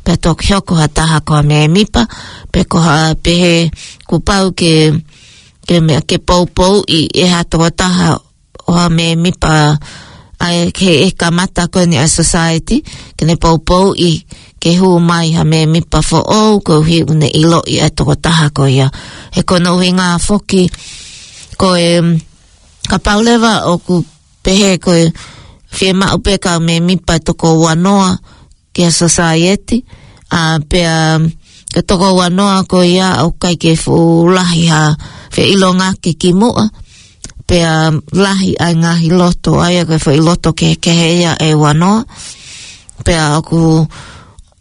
pea toki hoko ha taha ko ha mēmipa, pe ko ha pehē kuo pau ke, ke meʻa ke poupouʻi ʻe ha tokotaha ʻo ha mēmipa ʻa e ke ʻe kamata ko eni ʻa e society, ke ne poupouʻi ke hū mai ha mēmipa foʻou koeʻuhi ʻoku ne ʻiloʻi ʻa e tokotaha ko ia. He ko hono ʻuhinga foki ko e, kapau leva ʻoku pehē ko e fiemaʻu pē kau mēmipa ʻe toko ua noa ki ha society, ʻa, pea ko e toko ua noa ko ia ʻoku ʻikai ke fuʻu lahi ha feʻilongaki kimuʻa, pea lahi ʻa e ngaahi loto, ʻa ia ko e foʻi loto kehekehe ia ʻe ua noa, pea ʻoku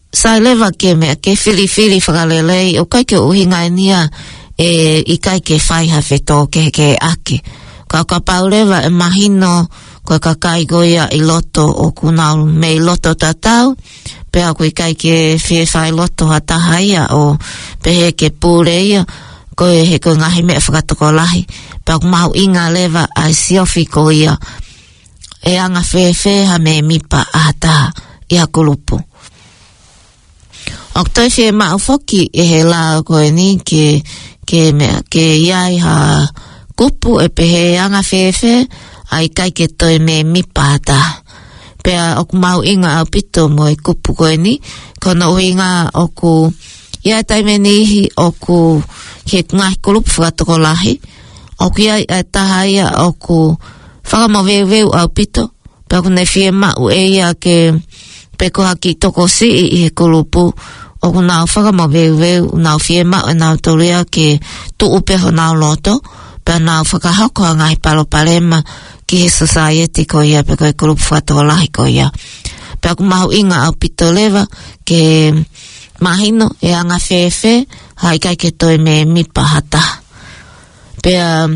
sai leva ke meʻa ke filifili fakalelei, ʻoku ʻikai ke ʻuhinga eni ia ʻe ʻikai ke fai ha fetōkehekeheʻaki. Ka ʻo kapau leva ʻe mahino ko e kakai ko ia ʻi loto ʻoku nau mei loto tatau, pea ʻoku ʻikai ke fie fai loto ha taha ia ʻo pehē ke pule ia, ko e he ko e ngaahi meʻa fakatokolahi, pea ʻoku mahuʻinga leva ʻa e siofi ko ia, ʻe anga fēfē ha mēmipa ʻa ha taha ʻi ha kulupu. ʻOku toe fiemaʻu foki ʻe he lao ko eni ke, ke meʻa, ke ʻi ai ha kupu ʻe pehē anga fēfē ʻa e ʻikai ke toe mēmipa ha taha. Pea ʻoku mahuʻinga ʻaupito mo e kupu ko eni, ko hono ʻuhinga ʻoku ʻi ai e taimi ʻe niʻihi ʻoku ki he ngaahi kulupu fakatokolahi, ʻoku ʻi ai e taha ia ʻoku fakamoveuveu ʻaupito, pea ʻoku ne fiemaʻu ʻe ia ke, pe ko ha kiʻi tokosiʻi ʻi he kulupu, ʻoku nau fakamoveuveu, ʻoku nau fiemaʻu ʻe nautolu ia ke tuʻu pē honau loto, pea nau fakahoko ha ngaahi palopalema ki he society ko ia pe ko e kulupu fakatokolahi ko ia. Pea ʻoku mahuʻinga ʻaupito leva ke mahino ʻe anga fēfē ha ʻikai ke toe mēmipa ha taha. Pea,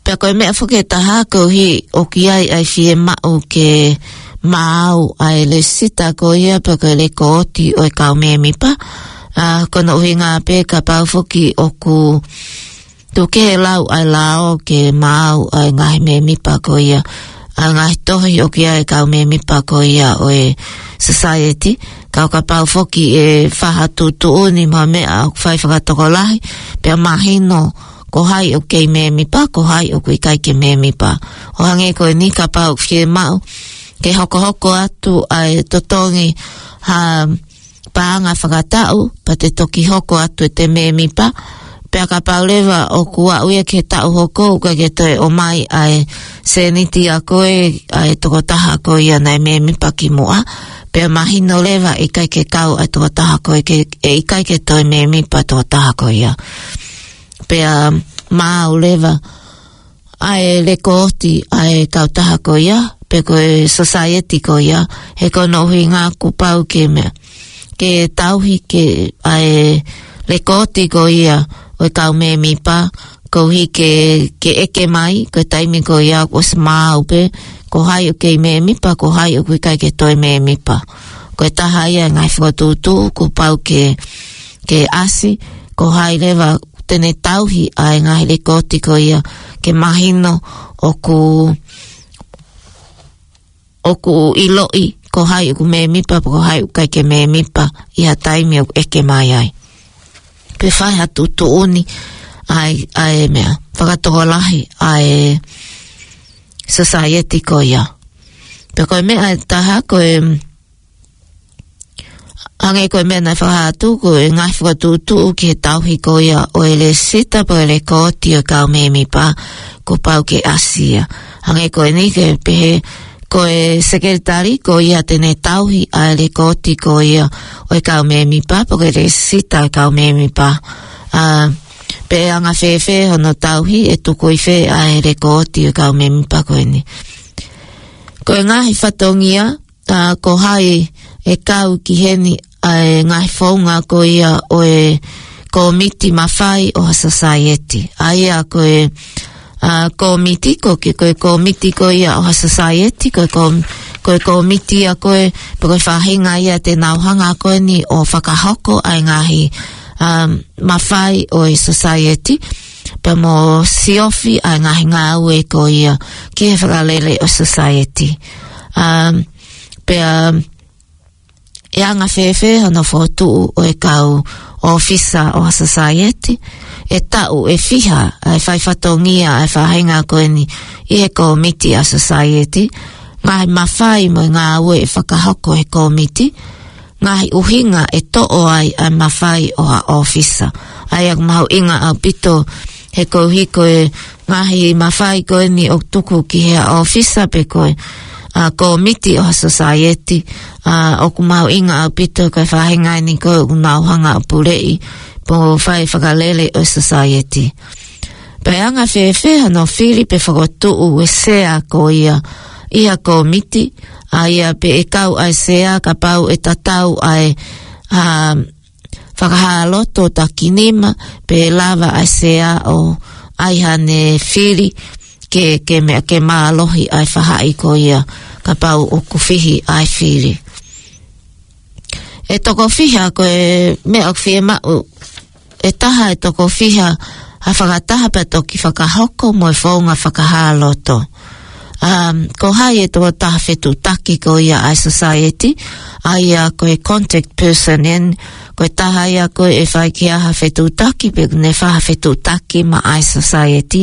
pea ko e meʻa foki ʻe taha koeʻuhi ʻoku ʻi ai ʻa e fiemaʻu ke maau ʻa e lēsisita ko ia pe ko e lekooti ʻo e kau mēmipa. ʻA, ko hono ʻuhinga pē kapau foki ʻoku tuku kehe lau ʻa e lao ke maau ʻa e ngaahi mēmipa ko ia, ʻa e ngaahi tohi ʻoku ʻi ai e kau mēmipa ko ia ʻo e society. Ka ʻo kapau foki ʻe fai ha tuʻutuʻuni mo ha meʻa ʻoku fai fakatokolahi, pea mahino ko hai ʻoku kei mēmipa, ko hai ʻoku ʻikai ke mēmipa. ʻO hangē ko eni kapau ʻoku fiemaʻu ke hokohoko atu ʻa e totongi ha paʻanga fakataʻu, pea te toki hoko atu ʻete mēmipa. Pea kapau leva ʻoku aʻu ia ki he taʻu hoko ʻoku ʻikai ke toe ʻomai ʻa e sēniti ʻa koe ʻa e tokotaha ko ia naʻe mēmipa kimuʻa, pea mahino leva ʻe ʻikai ke kau ʻa e tokotaha ko ē ke, ʻe ʻikai ke toe mēmipa tokotaha ko ia. Pea maau leva ʻa e lekooti ʻa e kautaha ko ia pe ko e society ko ia, he ko hono ʻuhinga kuo pau ke meʻa, ke tauhi ke ʻa e lekooti ko ia ʻo e kau mēmipa, koeʻuhi ke, ke ʻeke mai, ko e taimi ko ia kuo ʻosi maau pē ko hai ʻoku kei mēmipa, ko hai ʻoku ʻikai ke toe mēmipa. Ko e taha ia e ngaahi fokotuʻutuʻu kuo pau ke, ke ʻasi, ko hai leva te ne tauhi ʻa e ngaahi lekooti ko ia ke mahino ʻoku, ʻoku ʻiloʻi ko hai ʻoku mēmipa pe ko hai ʻoku ʻikai ke mēmipa ʻi ha taimi ʻoku ʻeke mai ai. Pe fai ha tuʻutuʻuni ʻa e, ʻa e meʻa fakatokolahi ʻa e society ko ia. Pea ko e meʻa ʻe taha ko e, hangē ko e meʻa naʻe fakahā atu, ko e ngaahi fokotuʻutuʻu ki he tauhi ko ia ʻo e lēsisita pe ko e lekooti ʻo e kau mēmipa, kuo pau ke ʻasi ia. Hangē ko eni ke pehē, ko e sekelitali ko ia te ne tauhi ʻa e lekooti ko ia ʻo e kau mēmipa pe ko e lēsisita ʻo e kau mēmipa. ʻA, pea ʻe anga fēfē hono tauhi, ʻe tuku ʻi fē ʻa e lekooti ʻo e kau mēmipa ko eni. Ko e ngaahi fatongia, ʻa, ko hai ʻe kau ki heni, ʻa e ngaahi founga ko ia ʻo e kōmiti mafai ʻo ha society. ʻA ia ko e, ʻa, kōmiti ko ke, ko e kōmiti ko ia ʻo ha society, ko e kōm-, ko e kōmiti ia ko ē, pe ko e faʻahinga ia te nau hanga ko eni ʻo fakahoko ʻa e ngaahi, um, mafai ʻo e society, pea mo siofi ʻa e ngaahi ngāue ko ia ki he fakalele ʻo e society. Um, pea ʻe anga fēfē hono fokotuʻu ʻo e kau ʻōfisa ʻo ha society, ʻe taʻu ʻe fiha ʻa e fai fatongia ʻa e faʻahinga ko eni ʻi he kōmiti ʻa e society, ngaahi mafai mo e ngāue ʻe fakahoko ʻe he kōmiti, ngaahi ʻuhinga ʻe toʻo ai ʻa e mafai ʻo ha ʻōfisa. ʻA ia ʻoku mahuʻinga ʻaupito he koeʻuhi ko e ngaahi mafai ko eni ʻoku tuku ki he ʻōfisa pe ko e, ʻa, kōmiti ʻo ha society, ʻa, ʻoku mahuʻinga ʻaupito ko e faʻahinga eni ko ē ʻoku nau hanga ʻo puleʻi mo fai fakalele ʻo e society. Pea ʻe anga fēfē hono fili pe fokotuʻu ʻa e sea ko ia ʻi ha kōmiti, ʻa ia pe ʻe kau ʻa e sea kapau ʻe tatau ʻa e, ʻa, fakahā loto takinima, pe lava ʻa e sea ʻo ʻai haʻane fili ke, ke meʻa ke mālohi ʻa e faʻahi ko ia kapau ʻoku fihi ʻa e fili. ʻE toko fiha ko e meʻa ʻoku fiemaʻu, ʻe taha ʻe toko fiha ha fakataha pea toki fakahoko mo e founga fakahā loto. Um, ko hai e tokotaha fetuʻutaki ko ia ʻa e society, ʻa ia ko e contact person eni, ko e taha ia ko ē ʻe fai ki ai ha fetuʻutaki, pe ʻoku ne fai ha fetuʻutaki maʻa e society,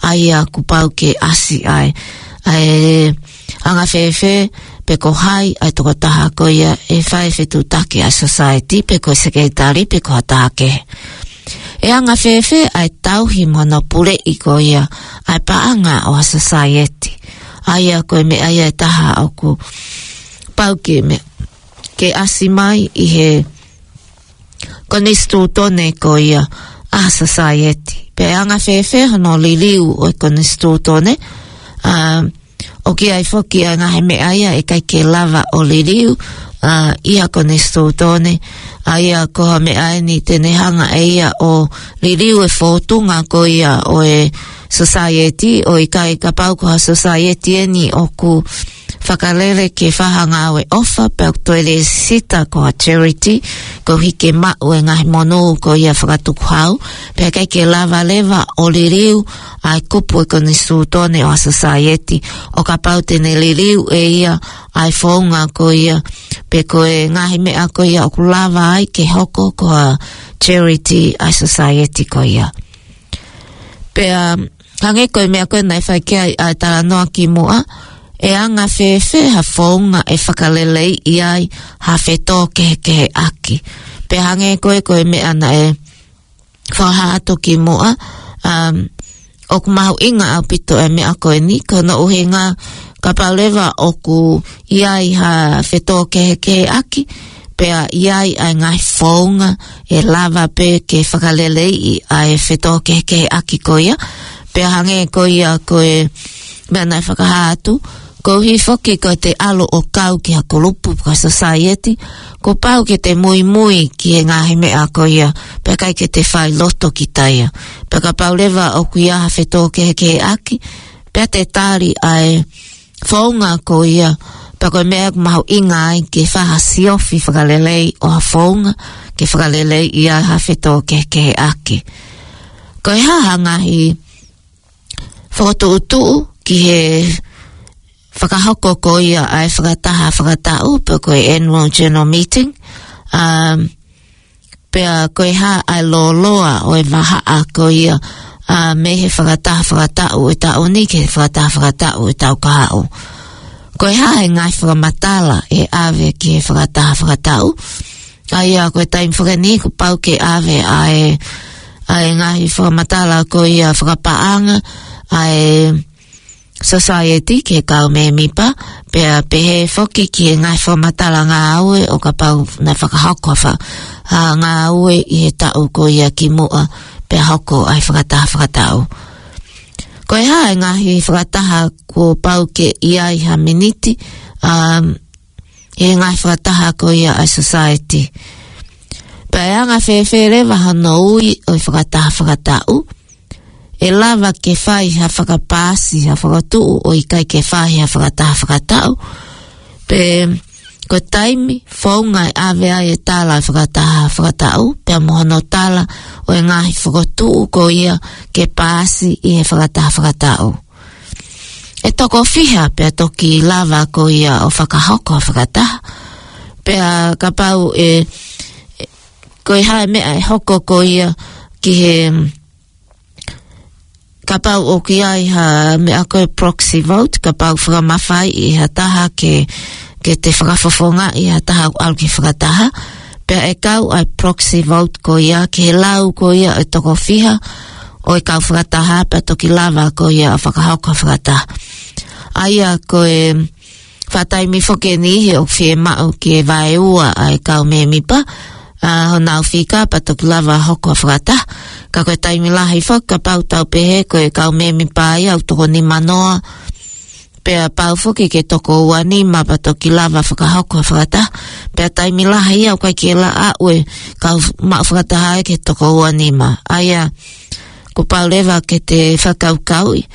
ʻa ia kuo pau ke ʻasi ai. ʻA e anga fēfē, pe ko hai ʻa e tokotaha ko ia ʻe fai fetuʻutaki ʻa e society, pe ko e sekelitali, pe ko ha taha kehe. ʻE anga fēfē ʻa e tauhi mo hono puleʻi ko ia ʻa e paʻanga ʻo ha society. ʻA ia ko e meʻa ia ʻe taha ʻoku pau ke meʻa, ke ʻasi mai ʻi he konisitūtone ko ia ʻa ha society. Pea ʻe anga fēfē hono liliu ʻo e konisitūtone, ʻA, ʻoku ʻi ai foki ʻa e ngaahi meʻa ia ʻe ʻikai ke lava ʻo liliu, ʻa, ʻi he konisitūtone, ʻa ia ko ha meʻa eni te ne hanga ʻe ia ʻo liliu e fōtunga ko ia ʻo e society, ʻo ʻikai kapau ko ha society eni ʻoku fakalele ke fai ha ngāue ʻofa, pea toe lēsisita ko ha charity, koeʻuhi ke maʻu e ngaahi monū ko ia fakatukuhau, pea ʻikai ke lava leva ʻo liliu ʻa e kupu e konisitūtone ʻo ha society, ʻo kapau te ne liliu ʻe ia ʻa e founga ko ia, pe ko e ngaahi meʻa ko ia ʻoku lava ai ke hoko ko ha charity ʻa e society ko ia. Pea hangē ko e meʻa ko ē naʻe fai ki ai ʻa e talanoa ki muʻa, ʻe anga fēfē ha founga ʻe fakaleleiʻi ai ha fetōkehekeheʻaki. Pea hangē ko e, ko e meʻa naʻe fakahā atu ki muʻa, um, ʻoku mahuʻinga ʻaupito e meʻa ko eni, ko hono ʻuhinga kapau leva ʻoku ʻi ai ha fetōkehekeheʻaki, pea ʻi ai ʻa e ngaahi founga ʻe lava pē ke fakaleleiʻi ʻa e fetōkehekeheʻaki ko ia, pea hangē ko ia ko e meʻa naʻe fakahā atu, koeʻuhi foki ko ʻete ʻalu ʻo kau ki ha kulupu, ki ha society, kuo pau ke te muimui ki he ngaahi meʻa ko ia, pea ʻikai ke te fai loto kita ia. Pea kapau leva ʻoku ʻi ai ha fetōkehekeheʻaki, pea te tali ʻa e founga ko ia, pea ko e meʻa ʻoku mahuʻinga ai ke fai ha siofi fakalelei ʻo ha founga, ke fakaleleiʻi ai ha fetōkehekeheʻaki. Ko e hā ha ngaahi fokotuʻutuʻu ki he fakahoko ko ia ʻa e fakataha fakataʻu, pe ko e annual general meeting, um, pea ko e hā ʻa e lōloa ʻo e vahaʻa ko ia, ʻa, mei he fakataha fakataʻu ʻo e taʻu ni ki he fakataha fakataʻu ʻo e taʻu kahaʻu. Ko e hā e ngaahi fakamatala ʻe ʻave ki he fakataha fakataʻu. ʻA ia ko e taimi foki eni kuo pau ke ʻave ʻa e, ʻa e ngaahi fakamatala ko ia fakapaʻanga ʻa e society ki he kau mēmipa, pea pehē foki ki he ngaahi fakamatala ngāue ʻo kapau naʻe fakahoko ha fa-, ʻa, ngāue ʻi he taʻu ko ia ki muʻa, pea hoko ʻa e fakataha fakataʻu. Ko e hā e ngaahi fakataha kuo pau ke ʻi ai ha miniti, um, he ngaahi fakataha ko ia ʻa e society. Pea ʻe anga fēfē leva hono ui ʻo e fakataha fakataʻu, ʻe lava ke fai ha fakapaasi, ha fokotuʻu ʻo ʻikai ke fai ha fakataha fakataʻu. Pe ko e taimi, founga ʻe ʻave ai e tala fakataha fakataʻu, pea mo hono tala ʻo e ngaahi fokotuʻu ko ia ke paasi ʻi he fakataha fakataʻu. ʻE toko fiha pea toki lava ko ia ʻo fakahoko fakataha. Pea kapau ʻe, ʻe, ko e hā e meʻa ʻe hoko ko ia ki he, kapau ʻoku ʻi ai ha meʻa ko e proxy vote, kapau fakamafaiʻi ha taha ke, ke te fakafofongaʻi ha taha ʻoku ʻalu ki he fakataha, pea ʻe kau ʻa e proxy vote ko ia ki he lau ko ia ʻe toko fiha ʻo e kau fakataha, pea toki lava ko ia ʻo fakahoko fakataha. ʻA ia ko e faʻa taimi foki eni he ʻoku fiemaʻu ke vaeua ʻa e kau mēmipa, ʻa, honau fika pea toki lava hoko fakataha. Ka ko e taimi lahi foki kapau tau pehē ko e kau mēmipa ia ʻoku toko nima noa, pea pau foki ke toko ua nima pea toki lava fakahoko fakataha. Pea taimi lahi ia ʻoku ʻikai ke lava ʻa e kau maʻu fakataha ia ke toko ua nima. ʻA ia, kuo pau leva ke te fakakaukauʻi,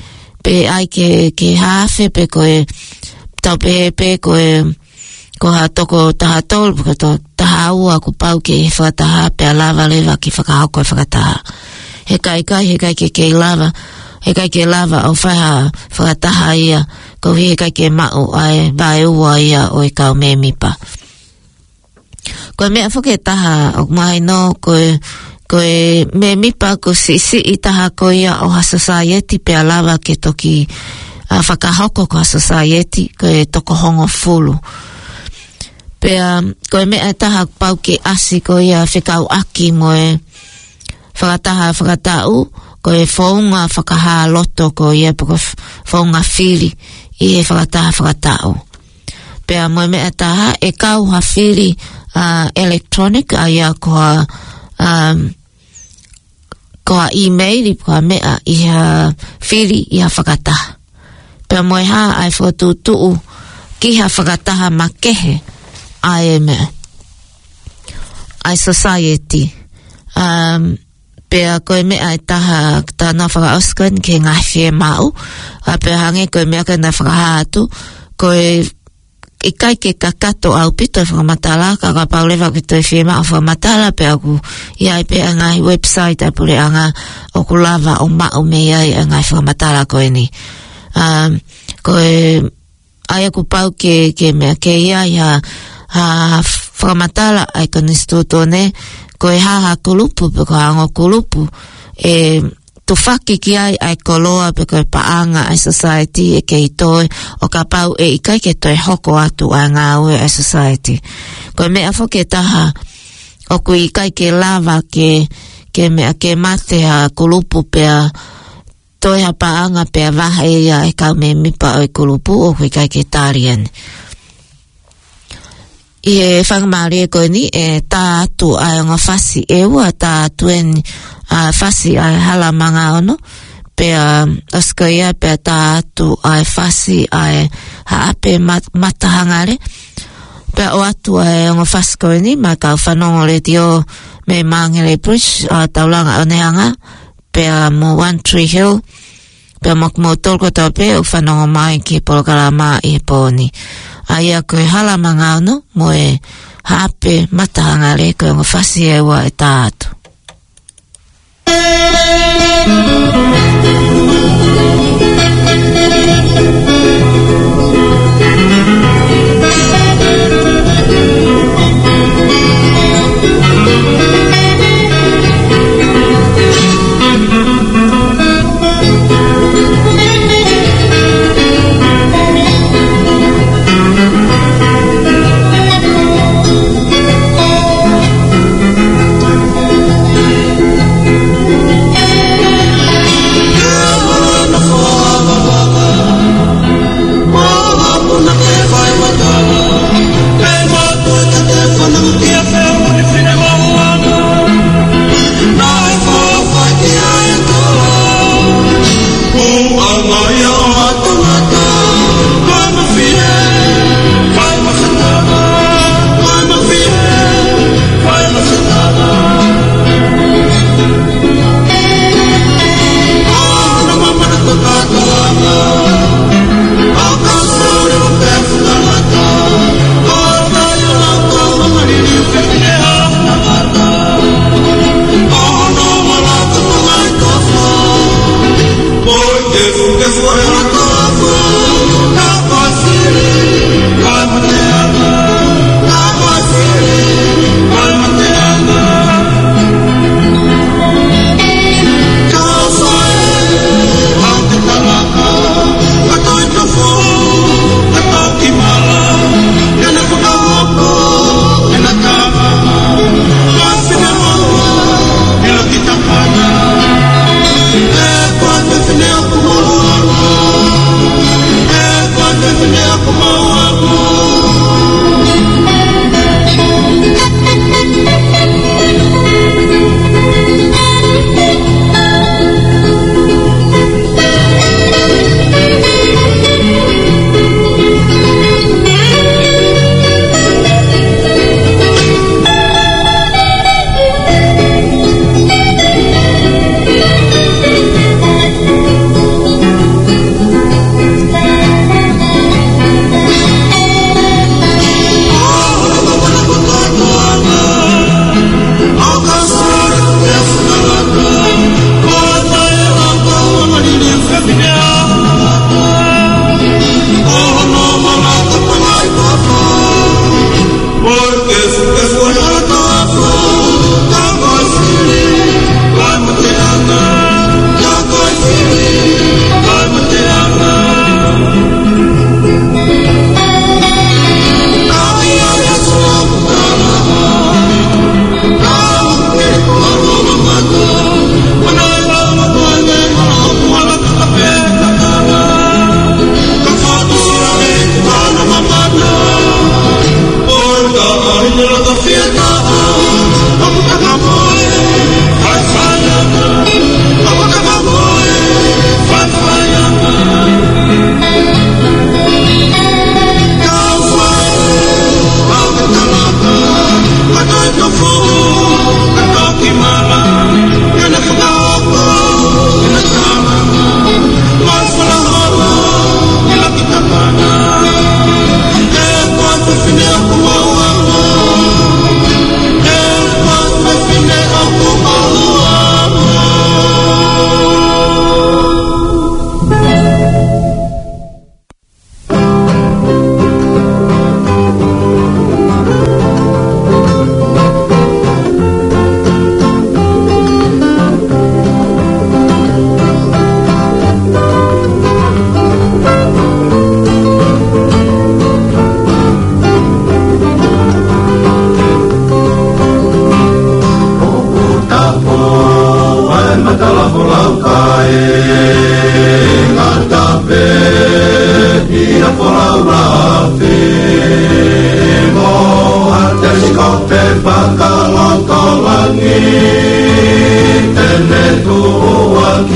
pe ʻai ke, ke haafe pe ko e, tau pehē pe ko e, ko ha toko taha tolu, ko toko taha ua kuo pau ke fakataha pea lava leva ke fakahoko e fakataha. He ʻikai, ʻikai, he ʻikai ke kei lava, he ʻikai ke lava ʻo fai ha fakataha ia, koeʻuhi he ʻikai ke maʻu ʻa e vaeua ia ʻo e kau mēmipa. Ko e meʻa foki ʻe taha ʻoku mahino ko e, ko e mēmipa ko e siʻisiʻi taha ko ia ʻo ha society pea lava ke toki, ʻa, fakahoko ko ha society ko e toko hongofulu. Pea ko e meʻa ʻe taha pau ke ʻasi ko ia fekauʻaki mo e fakataha fakataʻu, ko e founga fakahā loto ko ia pe ko e f-, founga fili ʻi he fakataha fakataʻu. Pea mo e meʻa ʻe taha, ʻe kau ha fili, ʻa, electronic, ʻa ia ko ha, um, ko ha email pe ko ha meʻa ʻi ha fili ʻi ha fakataha. Pea mo e hā ʻa e fokotuʻutuʻu ki ha fakataha makehe ʻa e meʻa, ʻa e society. Um, pea ko e meʻa ʻe taha, talanoa fakaʻosi ko eni ki he ngaahi fiemaʻu, ʻa pea hangē ko e meʻa ko ē naʻe fakahā atu, ko e ʻikai ke kakato ʻaupito e fakamatala, ka kapau leva ʻoku toe fiemaʻu fakamatala, pea ʻoku ʻi ai pē ʻa e ngaahi website ʻa e puleʻanga ʻoku lava ʻo maʻu mei ai ʻa e ngaahi fakamatala ko eni. Um, ko e, ʻa ia kuo pau ke, ke meʻa ke ʻi ai ha, ha fakamatala ʻa e konisitūtone, ko e hā ha kulupu, pe ko e ongo kulupu ʻe tufaki ki ai ʻa e koloa pe ko e paʻanga ʻa e society ʻe kei toe, ʻo kapau ʻe ʻikai ke toe hoko atu ʻa e ngāue ʻa e society. Ko e meʻa foki ʻe taha, ʻoku ʻikai ke lava ke, ke meʻa ke mate ha kulupu pea toe ha paʻanga pea vahe ia ʻe he kau mēmipa ʻo e kulupu, ʻoku ʻikai ke tali eni. ʻI he faingamālie ko eni ʻe tā atu ʻa e ongo fasi ʻe ua, tā atu eni ʻa e fasi ʻa e Hala Manga Ono, pea ʻosi ko ia pea tā atu ʻa e fasi ʻa e Haʻape Mat-, Matahangale, pea ʻoatu ʻa e ongo fasi ko eni maʻa e kau fanongo letiō mei Māngere Bridge, ʻa Taulanga ʻOneanga, pea mo One Tree Hill, pea mo kimoutolu kotoa pē ʻoku fanongo mai ki he polokalama ʻi he pō ni. ʻA ia ko e Hala Manga Ono mo e Haʻape Matahangale ko e ongo fasi ʻe ua ʻe tā atu.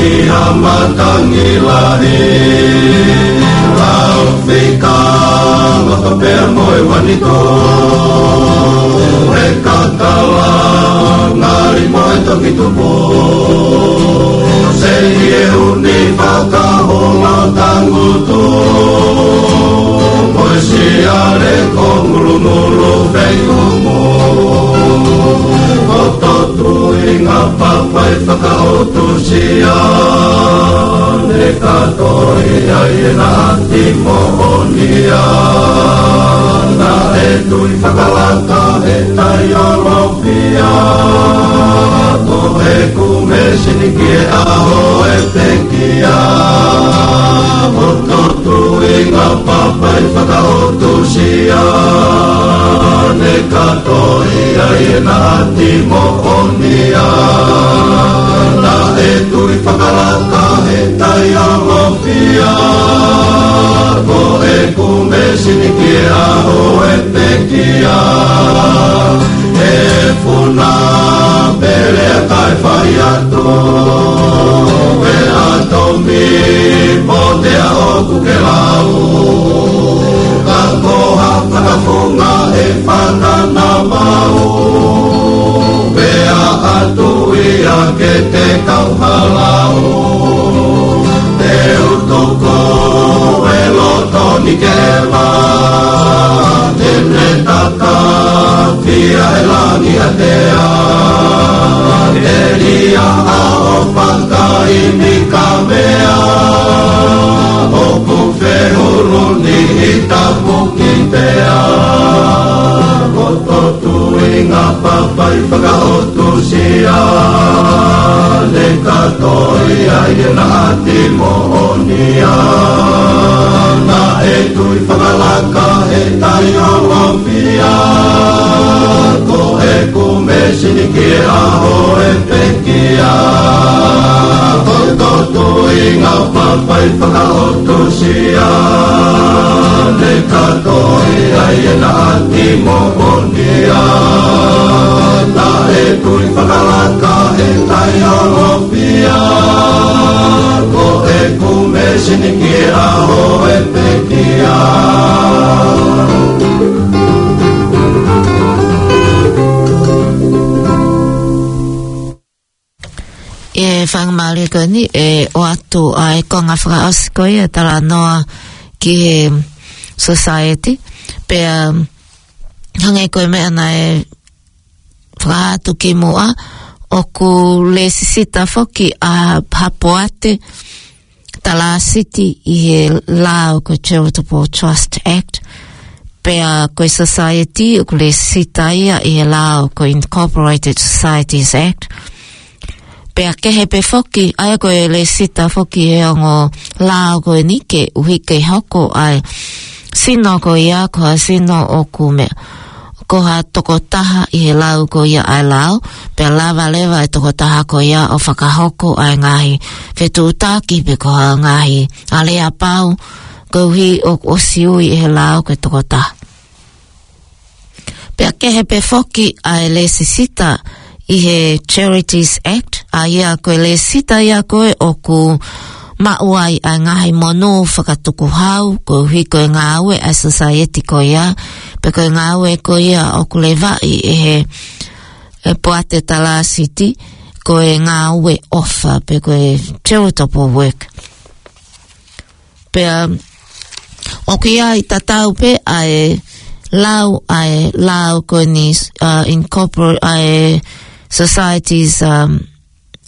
ʻi ha matangi lahi, lau fika, maka pea mo e uanito, he kakala, ngali mo e toki tupu, sei ʻi he ʻuni fakahola tangutu, mo e siale ko ngulungulu fei umu, ko totu ʻi ngā papai fakaʻotusia, ne ka toi ai e nati moʻonia. Naʻe tui fakalaka he taiolopia, ko e kumesini ki he ʻaho e pekia. Ko totu ʻi ngā papai fakaʻotusia, ne ka toi ai e nati moʻonia. Naʻe tui fakalaka he taiolopia, ko e kumesini ki he ʻaho e pekia. E funa pele a kai fai atu, e atomi po te a oku ke lau. Ka ko ha fakafunga e fana na mau, pea atu ia ke te kau halau. Te utuku e loto ni ke ma, te ne taka fia e langi a te a. E lia a o paka i mi ka mea, o ku fehulu ni i tapu ki te a. Ko totu ʻi ngā papai fakaʻotusia, ne ka toi ai e nati moʻonia. Naʻe tui fakalaka he taiolopia, ko e kumesini ki he ʻaho e pekia. Ko totu ʻi ngā papai fakaʻotusia, ne ka toi ai e nati moʻonia. Naʻe tui fakalaka he taiolopia, ko e kumesini ki he ʻaho e pekia. ʻI he faingamālie ko eni, ʻe ʻoatu ʻa e konga fakaʻosi ko ia e talanoa ki he society, pea hangē ko e meʻa naʻe fakahā atu ki muʻa, ʻoku lēsisita foki ʻa ha poate talāsiti ʻi he lao ko e Charitable Trust Act, pea ko e society ʻoku lēsisita ia ʻi he lao ko e Incorporated Societies Act. Pea kehe pē foki, ʻa ia ko e lēsisita foki he ongo lao ko eni koeʻuhi ke hoko ʻa e sino ko ia ko ha sino ʻoku meʻa, ko ha tokotaha ʻi he lau ko ia ʻa e lao, pea lava leva e tokotaha ko ia ʻo fakahoko ʻa e ngaahi fetuʻutaki pe ko ha ngaahi aleapau, koeʻuhi ʻoku ʻosi ui ʻe he lao ko e tokotaha. Pea kehe pē foki ʻa e lēsisita ʻi he Charities Act, ʻa ia ko e lēsisita ia ko ē ʻoku maʻu ai ʻa e ngaahi monū fakatukuhau, koeʻuhi ko e ngāue ʻa e society ko ia, pe ko e ngāue ko ia ʻoku levaʻi ʻe he, e poate talāsiti, ko e ngāue ʻofa, pe ko e charitable work. Pea ʻoku ʻi ai tatau pē ʻa e lau, ʻa e lau ko eni, uh, incorpor-, ʻa e Societies, um,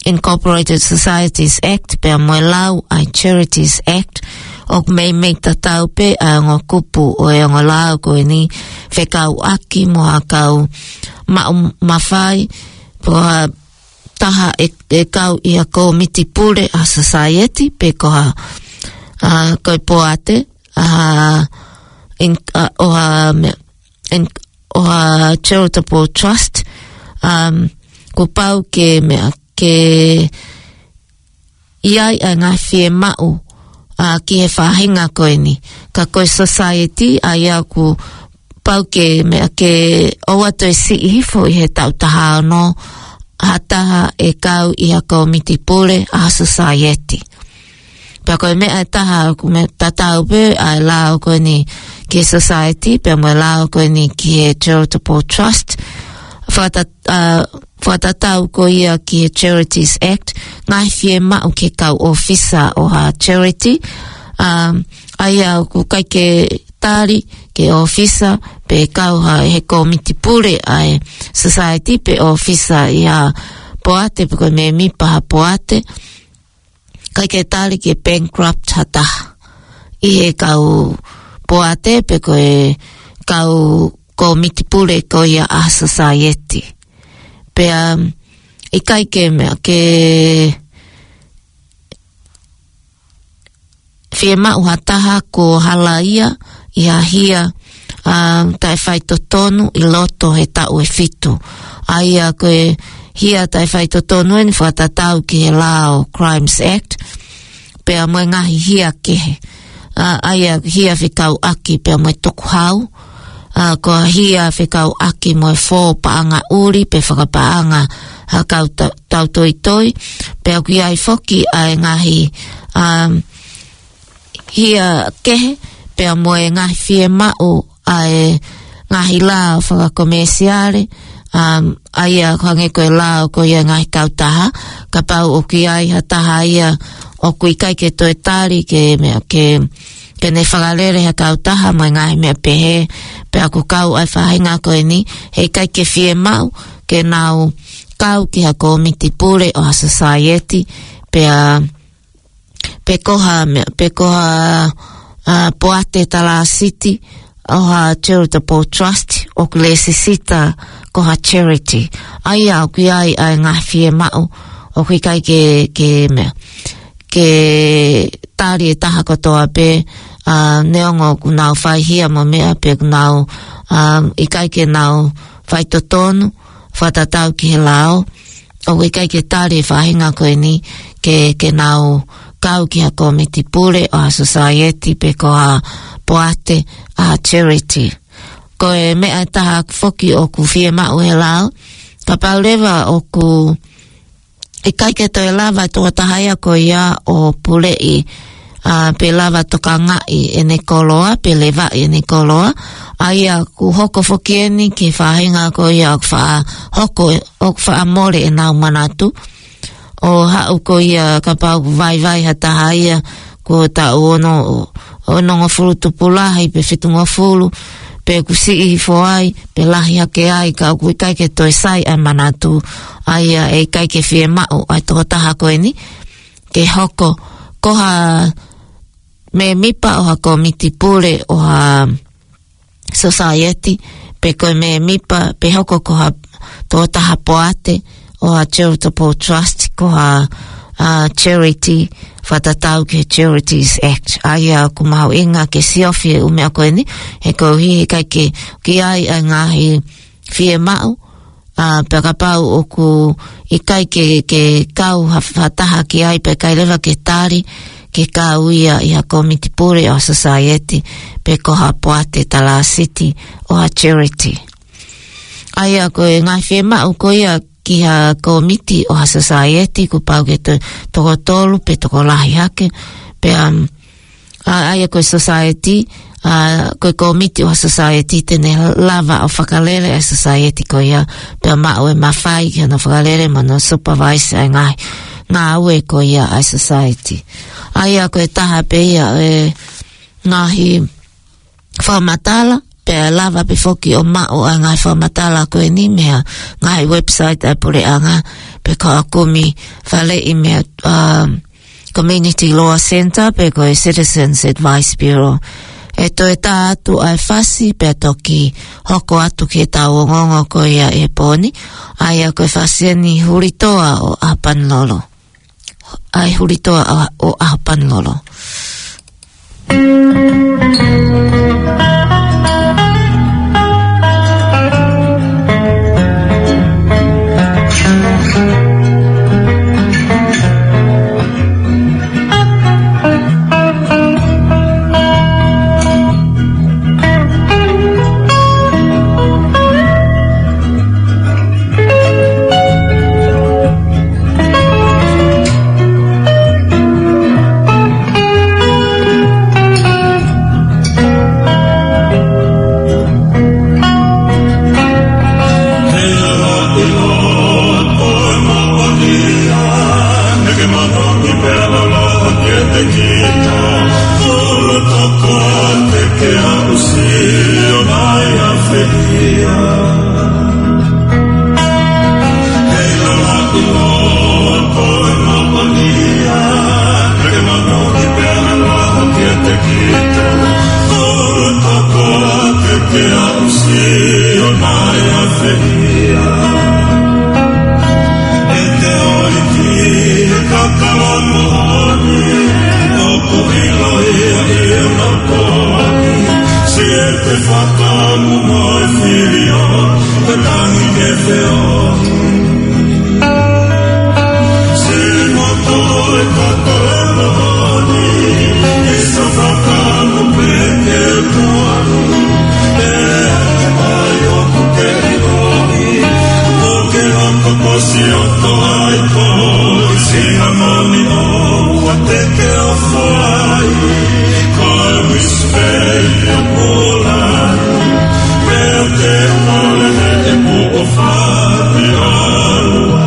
Incorporated Societies Act, pea mo e lau ʻa e Charities Act, ʻoku meimei tatau pē ʻa e ongo kupu ʻo e ongo lau ko eni fekauʻaki mo ha kau maʻu mafai, pe ko ha taha ʻe, ʻe kau ʻi ha kōmiti pule ʻa e society, pe ko ha, ʻa, ko e poate, ʻa, in-, ʻa, ʻo ha meʻa, in-, ʻo ha charitable trust, um, kuo pau ke meʻa ke ʻi ai ʻa e ngaahi fiemaʻu, ʻa, ki he faʻahinga ko eni. Ka ko e society, ʻa ia kuo pau ke meʻa ke ʻoua toe siʻi hifo ʻi he taʻu taha ono, ha taha ʻe kau ʻi ha kōmiti pule ʻa ha society. Pea ko e meʻa ʻe taha ʻoku meʻa tatau pē ʻa e lao ko eni ki he society, pea mo e lao ko eni ki he charitable trust. Fakatat-, ā, fakatatau ko ia ki he Charities Act, ngaahi fiemaʻu ki he kau ʻōfisa ʻo ha charity, ā, ʻa ia ʻoku ʻikai ke tali ki he ʻōfisa pe kau ha he kōmiti pule ʻa e society pe ʻōfisa ʻi ha poate pe ko e mēmipa ha poate, ʻikai ke tali ke bankrupt ha taha ʻi he kau poate pe ko e kau kōmiti pule ko ia ʻa society. Pea ʻikai ke meʻa ke fiemaʻu ha taha kuo halaia ʻi ha hia, ā, taʻefaitotonu ʻi loto he taʻu ʻe fitu. ʻA ia ko e hia taʻefaitotonu eni fakatatau ki he lao Crimes Act, pea mo e ngaahi hia kehe. Ā, ʻa ia hia fekauʻaki pea mo e tukuhau, ā, ko e hia fekauʻaki mo e fō paʻanga ʻuli pe fakapaʻanga ha kau ta-, tautoitoi, pea ʻoku ʻi ai foki ʻa e ngaahi, ā, hia kehe, pea mo e ngaahi fiemaʻu ʻa e ngaahi lao fakakomēsiale, ā, ʻa ia hangē ko e lao ko ia ngaahi kautaha, kapau ʻoku ʻi ai ha taha ia ʻoku ʻikai ke toe tali ke meʻa ke, ke ne fakalele ha kautaha mo e ngaahi meʻa pehē, pea ʻoku kau ʻa e faʻahinga ko eni, heʻikai ke fiemaʻu ke nau kau ki ha kōmiti pule ʻo ha society, pea pe ko ha meʻa, pe ko ha, ā, poate talāsiti ʻo ha charitable trust ʻoku lēsisita ko ha charity. ʻA ia ʻoku ʻi ai ʻa e ngaahi fiemaʻu ʻoku ʻikai ke, ke meʻa, ke tali ʻe taha kotoa pē, ā, neongo ʻoku nau fai hia mo meʻa pe ʻoku nau, ā, ʻikai ke nau faitotonu, fakatatau ki he lao, ʻoku ʻikai ke tali e faʻahinga ko eni ke, ke nau kau ki ha kōmiti pule ʻo ha society pe ko ha poate ʻa ha charity. Ko e meʻa ʻe taha foki ʻoku fiemaʻu he lao, kapau leva ʻoku ʻikai ke toe lava e tokotaha ia ko ia ʻo puleʻi, ā, pe lava tokangaʻi ʻene koloa, pe levaʻi ʻene koloa. ʻA ia ʻoku hoko foki eni ki he faʻahinga ko ia ʻoku faʻa hoko, ʻoku faʻa mole ʻenau manatu. ʻO haʻu ko ia kapau ʻoku vaivai ha taha ia kuo taʻu ono, onongofulu tupu lahi pe fitungofulu, pe kuo siʻi hifo ai, pe lahi hake ai, ka ʻoku ʻikai ke toe sai ʻa e manatu, ʻa ia ʻe ʻikai ke fiemaʻu ʻa e tokotaha ko eni ke hoko ko ha mēmipa ʻo ha kōmiti pule ʻo ha society, pe ko e mēmipa, pe hoko ko ha tokotaha poate ʻo ha charitable trust, ko ha, ā, charity, fakatatau ki he Charities Act. ʻA ia ʻoku mahuʻinga ke siofi e ʻū meʻa ko eni, he koeʻuhi he ʻikai ke, ke ʻi ai ʻa e ngaahi fiemaʻu, ā, pea kapau ʻoku ʻikai ke, ke kau ha, ha taha ki ai pe ʻikai leva ke tali ke kau ia ʻi ha kōmiti pule ʻo ha society pe ko ha poate talāsiti ʻo ha charity. ʻA ia ko e ngaahi fiemaʻu ko ia ki ha kōmiti ʻo ha society kuo pau ke to-, toko tolu pe tokolahi hake, pea, um, ā, ʻa ia ko e society, ā, ko e kōmiti ʻo ha society te ne lava ʻo fakalele ʻa e society ko ia, pea maʻu e mafai ki hono fakalele mo hono supervise ʻa e ngaahi ngāue ko ia ʻa e society. ʻA ia ko e taha pē ia e ngaahi fakamatala, pea lava pē foki ʻo maʻu ʻa e ngaahi fakamatala ko eni mei he ngaahi website ʻa e puleʻanga, pe ko e kumi faleʻi mei he, um, Community Law Centre, pe ko e Citizens Advice Bureau. ʻE toe tā atu ʻa e fasi, pea toki hoko atu ki heʻetau ongoongo ko ia he pō ni, ʻa ia ko e fasi eni Hulitoa ʻo ʻAhopanilolo. ʻA e Hulitoa ʻo, ʻo ʻAhopanilolo. Te aʻusia mai ʻa e feia. ʻE te ʻoi ki he kakala moʻoni, ʻoku ʻiloʻi ʻe ia ʻa e moʻoni. Siʻi ʻe te fakamu mo e filio, te tangi ke feoni. Sili mo toe kakala moʻoni, ʻi sa fakamu pē ke tuani. ʻE ake mai ʻoku ke ʻiloʻi, ʻoku ke hoko ko si ʻoto ai ko, ʻi singa moni ʻoua te ke ʻofa ai, ko e whisper ia pula. Pea te ole e puʻo fati alua.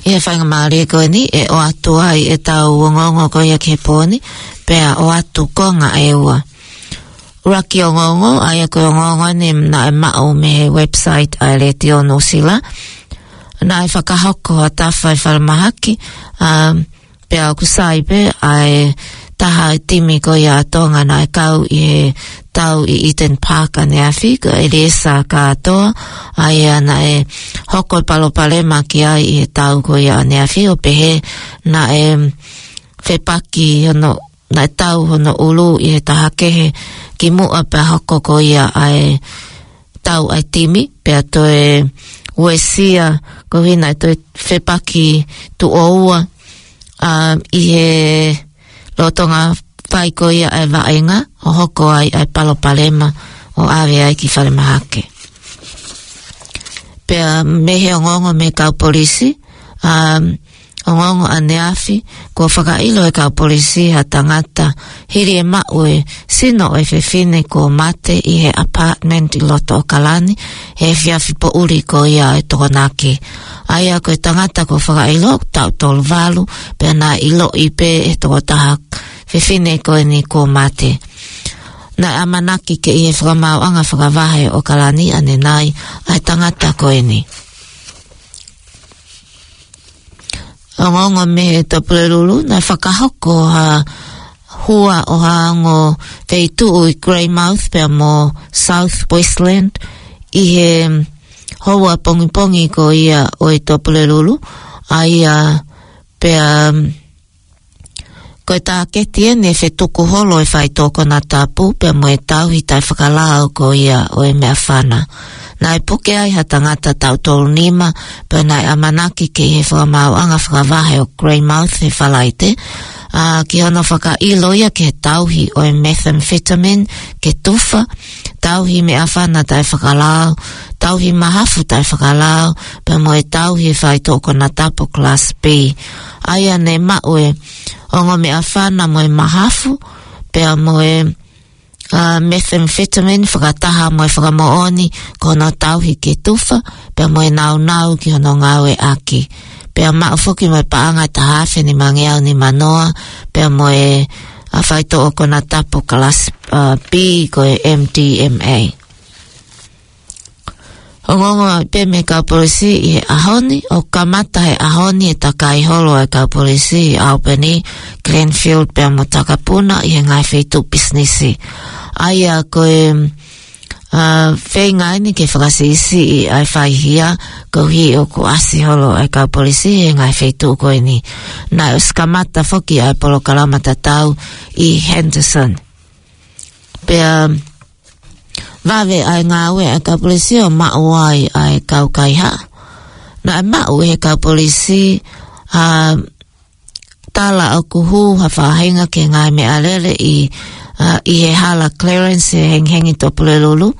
ʻI he faingamālie ko eni, ʻe ʻoatu ai ʻetau ongoongo ko ia ki he pō ni, pea ʻoatu konga ʻe ua. ʻUluaki ongoongo, ʻa ia ko e ongoongo ni naʻe maʻu mei he website ʻa e Letiō Nuʻu Sila. Naʻe fakahoko ha tafa ʻi falemahaki, ā, pea ʻoku sai pē ʻa e taha ʻo e timi ko ia ʻa Tonga naʻe kau ʻi he tau ʻi Eden Park ʻaneafi, ko ʻEliesa Katoa, ʻa ia naʻe hoko e palopalema ki ai ʻi he tau ko ia ʻaneafi, ʻo pehē naʻe fepaki hono, naʻe tau hono ʻulu ʻi he taha kehe kimuʻa pea hoko ko ia ʻa e tau ʻa e timi, pea toe uesia, koeʻuhi naʻe toe fepaki tuʻo ua, ā, ʻi he lolotonga fai ko ia ʻa e vaʻinga, ʻo hoko ai ʻa e palopalema, ʻo ʻave ai ki falemahaki. Pea mei he ongoongo mei he kau polisi, ā, ongoongo ʻaneafi, kuo fakaʻilo ʻe he kau polisi ha tangata hili e maʻu e sino ʻo e fefine kuo mate ʻi he apartment ʻi loto ʻAokalani, he efiafi poʻuli ko ia ʻo e Tokonaki. ʻA ia ko e tangata kuo fakaʻilo, taʻu tolu valu, pea naʻe ʻiloʻi pē ʻe he tokotaha fefine ko eni kuo mate. Naʻe ʻamanaki ke ʻi he fakamaauʻanga fakavahe ʻo ʻAokalani ʻanenai ʻa e tangata ko eni. Ongoongo mei he Tuʻapulelulu, naʻe fakahoko ha hua ʻo ha ongo feituʻu ʻi Greymouth pea mo South Westland ʻi he houa pongipongi ko ia ʻo e Tuʻapulelulu, ʻa ia pea ko e tāketi eni e fetuku holo e faitoʻo konatapu pea mo e tauhi taʻefakalao ko ia ʻo e meʻafana. Naʻe puke ai ha tangata taʻu tolu nima, pea naʻe ʻamanaki ke ʻi he fakamaauʻanga fakavahe ʻo Greymouth he Falaite, ā, ki hono fakaʻilo ia ki he tauhi ʻo e methamphetamine ke tufa, tauhi meʻafana taʻefakalao, tauhi mahafu taʻefakalao, pea mo e tauhi faitoʻo konatapu class B. ʻA ia ne maʻu e ongo meʻafana mo e mahafu, pea mo e, ā, methamphetamine fakataha mo e fakamoʻoni ko hono tauhi ke tufa, pea mo e naunau ki hono ngāueʻaki. Pea maʻu foki mo e paʻanga ʻe taha afe nimangeau nimanoa, pea mo e, ā, faitoʻo konatapu class, ā, B ko e M D M A. Ongoongo pē mei he kau polisi ʻi he ʻaho ni, ʻoku kamata he ʻaho ni e takai holo ʻa e kau polisi ʻi Albany, Glenfield pea mo Takapuna ʻi he ngaahi feituʻu pisinisi. ʻA ia ko e, ā, feinga eni ke fakasiʻisiʻi ʻa e faihia, koeʻuhi ʻoku ʻasi holo ʻa e kau polisi ʻi he ngaahi feituʻu ko eni. Naʻe ʻosi kamata foki ʻa e polokalama tatau ʻi Henderson. Pea vave ʻa e ngāue ʻa e kau polisi ʻo maʻu ai ʻa e kau kaihaʻa. Naʻe maʻu ʻe he kau polisi, ā, tala ʻoku hū ha faʻahinga ki he ngaahi meʻalele ʻi, ā, ʻi he hala Clarence he hengihengi Topulelulu,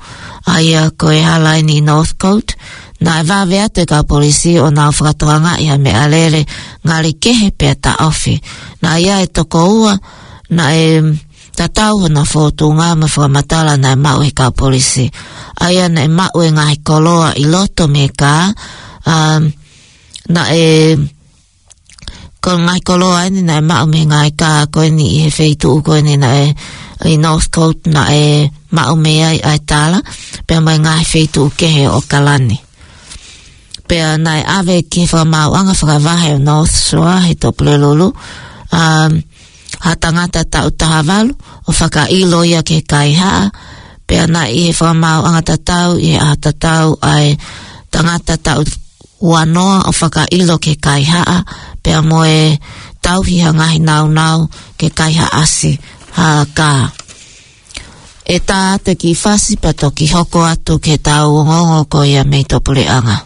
ʻa ia ko e hala eni ʻi Northcote. Naʻe vave atu e kau polisi ʻo nau fakatokangaʻi ha meʻalele ngali kehe pea taʻofi. Naʻe ʻi ai e toko ua naʻe tatau hona fōtunga mo e fakamatala naʻe maʻu ʻe he kau polisi. ʻA ia naʻe maʻu e ngaahi koloa ʻi loto mei he kā, ā, naʻe, ko e ngaahi koloa eni naʻe maʻu mei he ngaahi kā ko eni ʻi he feituʻu ko eni naʻe ʻi Northcote naʻe maʻu mei ai ʻa e tala, pea mo e ngaahi feituʻu kehe ʻo ʻAokalani. Pea naʻe ʻave ki he fakamaauʻanga fakavahe ʻo North Shore he Topulelulu, um, ha tangata taʻu taha valu ʻo fakaʻilo ia ki he kaihaʻa, pea naʻe ʻi he fakamaauʻanga tatau, ʻi he ʻaho tatau ʻa e tangata taʻu uanoa ʻo fakaʻilo ki he kaihaʻa, pea mo e tauhi ha ngaahi naunau ke kaihaʻasi ha kā. ʻE tā atu e kiʻi fasi pea toki hoko atu ki heʻetau ongoongo ko ia mei tuʻapuleʻanga.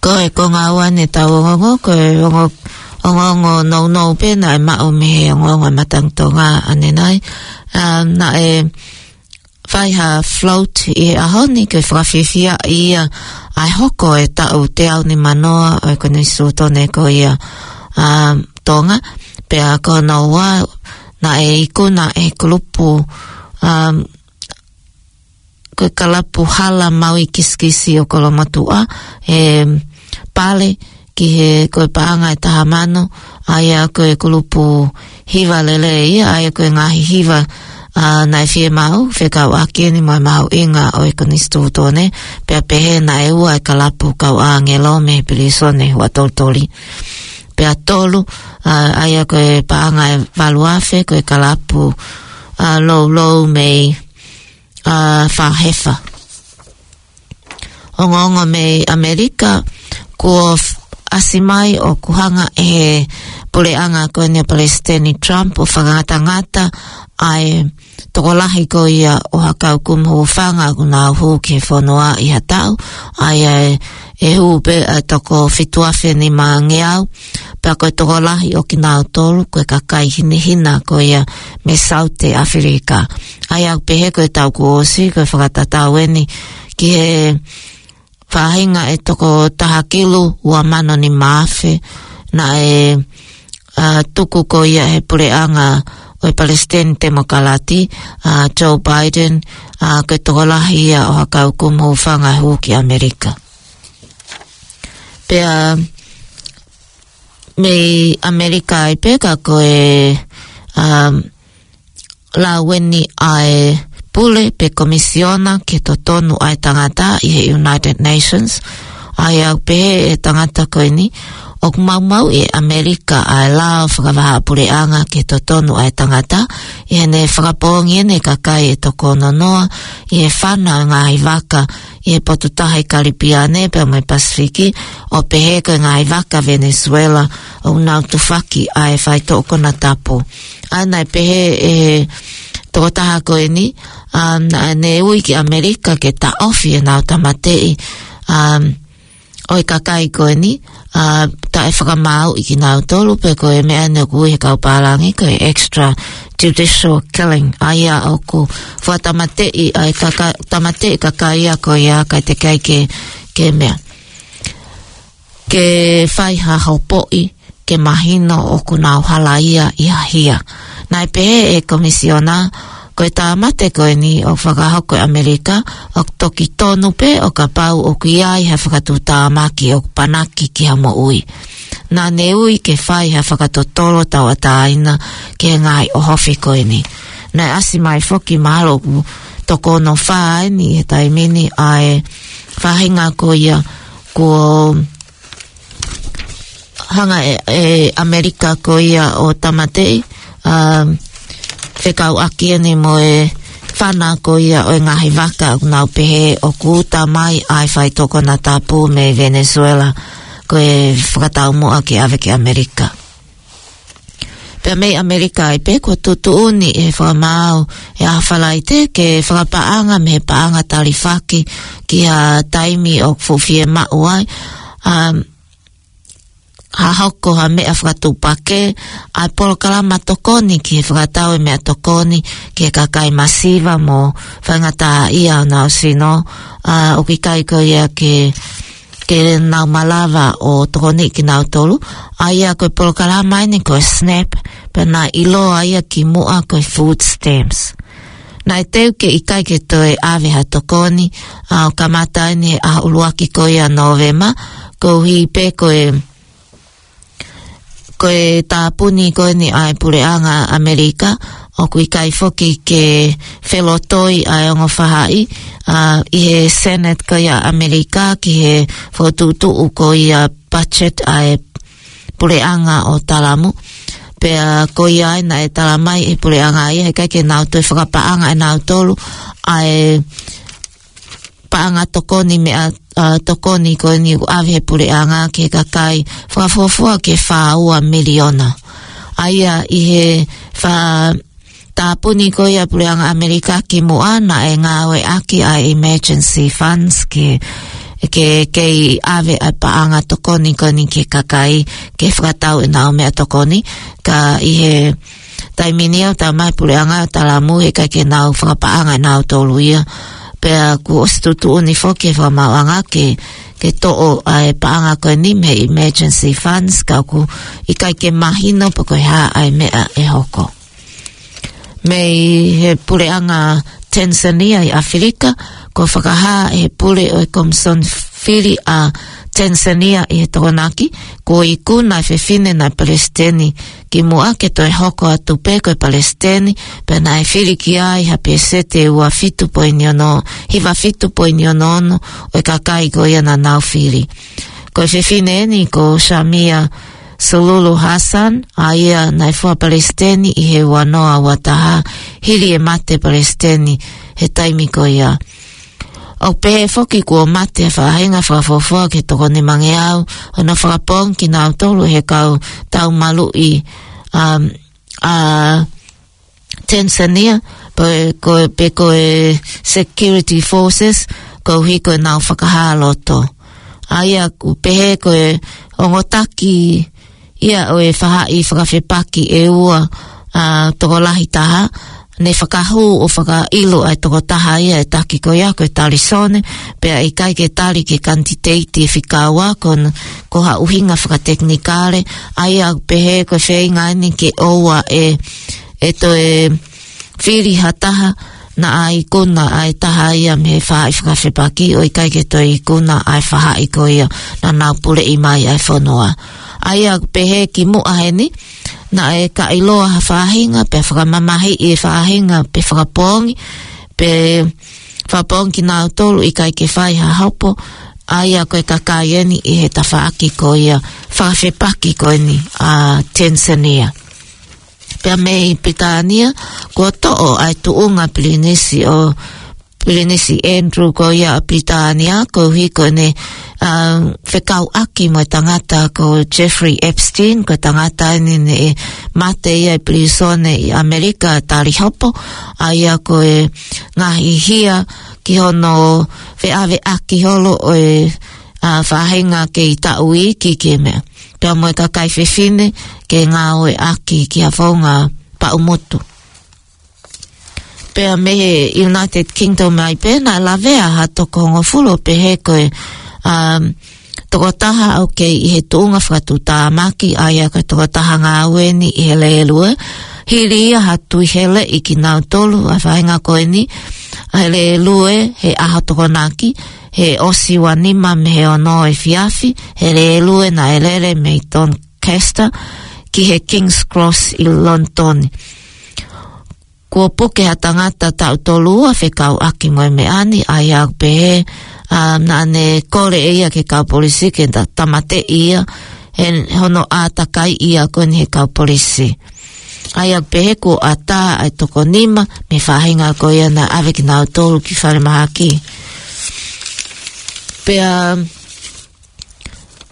Ko e konga ua eni ʻetau ongoongo, ko e ongo-, ongoongo nounou pē naʻe maʻu mei he ongoongo ʻa e Matangi Tonga ʻanenai. Um, naʻe fai ha float ʻi he ʻaho ni ke fakafiefia ia ʻa e hoko e taʻu teau nimanoa ʻo e Konisitūtone ko ia, um, Tonga. Pea ko hono ua, naʻe ikuna ʻe he kulupu, um, ko e kalapu hala maui kisikisi ʻo Kolomotuʻa, e, pale ki he ko e paʻanga ʻe taha mano, ʻa ia ko e kulupu hiva lelei ia, ʻa ia ko e ngaahi hiva, ʻa, naʻe fiemaʻu, fekauʻaki eni mo e mahuʻinga ʻo e Konisitūtone, pea pehē naʻe ua e kalapu kau ʻāngelo mei he pilīsone Huʻatolitoli. Pea tolu, ʻa, ʻa ia ko e paʻanga ʻe valu afe, ko e kalapu, ʻa, loulou mei, ʻa, Fāhefa. Ongoongo mei ʻAmelika, kuo f-, ʻasi mai ʻoku hanga ʻe he puleʻanga ko eni ʻo Palesiteni Trump ʻo fakangatangata ʻa e tokolahi ko ia ʻo ha kau kumuhūfanga ʻoku nau hū ki he fonua ʻi ha taʻu, ʻa ia ʻe, ʻe hū pē ʻa e toko fitu afe nimangeau, pea ko e tokolahi ʻo kinautolu, ko e kakai hinehina ko ia mei Saute ʻAfilika. ʻA ia ʻoku pehē ko e taʻu kuo ʻosi, ko e fakatatau eni ki he faʻahinga ʻe toko taha kilu ua mano nima afe, naʻe, ʻa, tuku ko ia ʻe he puleʻanga ʻo e Palesiteni Temokalati, ʻa, Joe Biden, ʻa, ko e tokolahi ia ʻo ha kau kumuhūfanga hū ki ʻAmelika. Pea mei ʻAmelika ai pē ka ko e, um, lau eni ʻa e pule pe komisiona ki he totonu ʻa e tangata ʻi he United Nations, ʻa ia ʻoku pehē ʻe he tangata ko eni, ʻoku maumauʻi ʻe ʻAmelika ʻa e lao fakavahaʻapuleʻanga ki he totonu ʻa e tangata, ʻi heʻene fakapoongi ʻene kakai ʻe toko ono noa ʻi he fana ʻo e ngaahi vaka ʻi he potu taha ʻi Kalipiane pea mo e Pasifiki, ʻo pehē ko e ngaahi vaka Venezuela ʻoku nau tufaki ʻa e faitoʻo konatapu. ʻA ia naʻe pehē ʻe he tokotaha ko eni, um, naʻa ne ui ki ʻAmelika ke taʻofi ʻenau tāmateʻi, um, ʻo e kakai ko eni, ʻa, taʻe fakamaauʻi kinautolu pe ko e meʻa eni ʻoku ui he kau pālangi ko e extrajudicial killing. ʻA ia ʻoku fakatāmateʻi ʻa e kaka-, tāmateʻi kakai ia ko ia kae teʻeki ai ke, ke meʻa. Ke fai ha hopoʻi, ke mahino ʻoku nau halaia ʻi ha hia. Naʻe pehē ʻe he komisiona, ko e tāmate ko eni ʻoku fakahoko ʻe ʻAmelika, ʻoku toki tonu pē ʻo kapau ʻoku ʻi ai ha fakatuʻutāmaki ʻoku panaki ki ha moʻui. Naʻa ne ui ke fai ha fakatotolo tauʻatāina ki he ngaahi ʻohofi ko eni. Naʻe ʻasi mai foki mahalo ʻoku toko ono fā eni he taimi ni ʻa e faʻahinga ko ia kuo hanga ʻe, ʻe ʻAmelika ko ia ʻo tāmateʻi, um, fekauʻaki eni mo e fana ko ia ʻo e ngaahi vaka ʻoku nau pehē ʻoku uta mai ʻa e faitoʻo konatapu mei Venezuela ko e fakataumuʻa ke ʻave ki ʻAmelika. Pea mei ʻAmelika ai pē kuo tuʻutuʻuni ʻe he fakamaau ʻi he ʻaho Falaite ke fakapaʻanga mei he paʻanga talifaki ki ha taimi ʻoku fuʻu fiemaʻu ai, um, ha hoko ha meʻa fakatuʻupakē, ʻa e polokalama tokoni ki he fakatau e meʻatokoni ki he kakai masiva mo faingataʻaʻia ʻo honau sino, ʻa, ʻoku ʻikai ko ia ke, ke nau malava ʻo tokoniʻi kinautolu, ʻa ia ko e polokalama eni ko e SNAP, pea naʻe ʻiloa ia kimuʻa ko e food stamps. Naʻe teu ke ʻikai ke toe ʻave ha tokoni, ʻa, ʻo kamata eni he ʻaho ʻuluaki ko ia Nōvema, koeʻuhi pē ko e, ko e tāpuni ko eni ʻa e puleʻanga ʻAmelika, ʻoku ʻikai foki ke felotoi ʻa e ongo faʻahi, ʻa, ʻi he Senate ko ia ʻAmelika ki he fokotuʻutuʻu ko ia budget ʻa e puleʻanga ʻo Talamu. Pea ko ia ai naʻe tala mai ʻe he puleʻanga ia, heʻikai ke nau toe fakapaʻanga ʻe nautolu ʻa e paʻanga tokoni meʻa, ʻa, tokoni ko eni ʻoku ʻave he puleʻanga ki he kakai fakafuofua ki he fā ua miliona. ʻA ia ʻi he fā tāpuni ko ia puleʻanga ʻAmelika kimuʻa naʻe ngāueʻaki ʻa e emergency funds ke, ke, ke ʻave ʻa e paʻanga tokoni ko eni ki he kakai ke fakatau ʻenau meʻatokoni. Ka ʻi he taimi ni ʻoku talamai ʻe he puleʻanga ʻo Talamu he ʻikai ke nau fakapaʻanga ʻe nautolu ia. Pea kuo ʻosi tuʻutuʻuni foki ʻe he fakamaauʻanga ke, ke toʻo ʻa e paʻanga ko eni mei he emergency funds, ka ʻoku ʻikai ke mahino pe ko e hā ʻa e meʻa ʻe hoko. Mei he puleʻanga Tanzania ʻi ʻAfilika, kuo fakahā ʻe he pule ʻo e Komisoni Fili ʻa Tanzania ʻi he Tokonaki, kuo ikuna ʻa e fefine naʻe palesiteni kimuʻa ke toe hoko atu pē ko e palesiteni, pea naʻe fili ki ai ha pēseti ʻe ua fitu poini ono, hiva fitu poini ono ono ʻo e kakai ko ia naʻa nau fili. Ko e fefine eni ko Samia Suluhu Hassan, ʻa ia naʻe fua palesiteni ʻi he ua noa ua taha, hili e mate palesiteni he taimi ko ia. ʻOku pehē foki kuo mate ha faʻahinga fakafuofua ki he toko nimangeau, hono fakapoongi kinautolu ʻe he kau tau maluʻi, um, ʻa Tanzania, pe ko, pe ko e security forces, koeʻuhi ko ʻenau fakahā loto. ʻA ia ʻoku pehē ko e ongo taki ia ʻo e faʻahi fakafepaki ʻe ua, ʻa, tokolahi taha, ne fakahū ʻo fakaʻilo ʻa e tokotaha ia ʻe he taki ko ia ko e talisone, pea ʻikai ke tali ki he kanititeiti ʻe fika ua ko n-, ko ha ʻuhinga fakatekinikale, ʻa ia ʻoku pehē ko e feinga eni ke ʻoua ʻe, ʻe toe fili ha taha naʻa ikuna ʻa e taha ia mei he faʻahi fakafepaki ʻo ʻikai ke toe ikuna ʻa e faʻahi ko ia naʻa nau puleʻi mai ʻa e fonua. ʻA ia ʻoku pehē kimuʻa heni, naʻe ka ʻiloa ha faʻahinga, pea fakamamahiʻi e faʻahinga, pea fakapoongi, pea fakapoongi kinautolu ʻikai ke fai ha hopo, ʻa ia ko e kakai eni ʻi he tafaʻaki ko ia fakafepaki ko eni ʻa Tanzania. Pea mei Pilitānia, kuo toʻo ʻa e tuʻunga Pilinisi ʻo, Pilinisi Andrew ko ia ʻa Pilitānia, koeʻuhi ko ʻene, um, fekauʻaki mo e tangata ko Jeffrey Epstein, ko e tangata eni naʻe mate ia ʻi pilīsone ʻi ʻAmelika tali hopo, ʻa ia ko e ngaahi hia ki hono feʻaveʻaki holo ʻo e, ʻa, faʻahinga kei taʻu iiki ki he meʻa. Pea mo e kakai fefine ke ngāueʻaki ki ha founga paʻumutu. Pea mei he United Kingdom ai pē naʻe lavea ha toko hongofulu ʻo pehē ko e, um, tokotaha ʻoku kei ʻi he tuʻunga fakatuʻutāmaki, ʻa ia ko e tokotaha ngāue eni ʻi he lēlue. Hili ia ha tui heleʻi kinautolu ʻa e faʻahinga ko eni, ʻa e lēlue he ʻaho Tokonaki, he ʻosi ua nima mei he ono efiafi, he lēlue naʻe lele mei Doncaster ki he King's Cross ʻi Lonitoni. Kuo puke ha tangata taʻu tolu ua fekauʻaki mo e meʻa ni, ʻa ia ʻoku pehē, ʻa, naʻa ne kole ʻe ia ki he kau polisi ke ta-, tāmateʻi ia, he hono ʻātakaiʻi ia ko eni ʻe he kau polisi. ʻA ia ʻoku pehē kuo ʻatā ʻa e toko nima mei he faʻahinga ko ia naʻe ʻave kinautolu ki falemahaki. Pea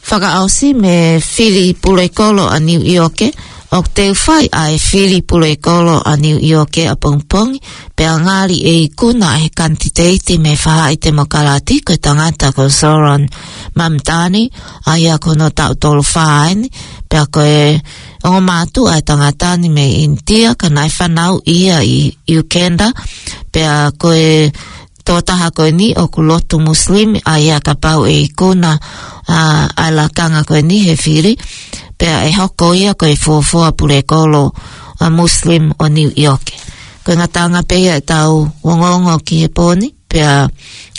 fakaʻosi mei he fili pulekolo ʻa Niu ʻIoke, ʻoku teu fai ʻa e fili pulekolo ʻa Niu ʻIoke ʻapongipongi, pea ngali ʻe ikuna ʻe he kanititeiti mei he faʻahi temokalati ko e tangata ko Zohran Mamdani, ʻa ia ko hono taʻu tolu fā eni, pea ko e ongo mātuʻa ʻa e tangata ni mei ʻInitia, ka naʻe fanauʻi ia ʻi Uganda, pea ko e tokotaha ko eni ʻoku lotu Muslim, ʻa ia kapau ʻe ikuna, ʻa, ʻa e lakanga ko eni he fili, pea ʻe hoko ia ko e fuofua pulekolo, ʻa, Muslim ʻo Niu ʻIoke. Ko e ngataʻanga pē ia ʻetau ongoongo ki he pō ni, pea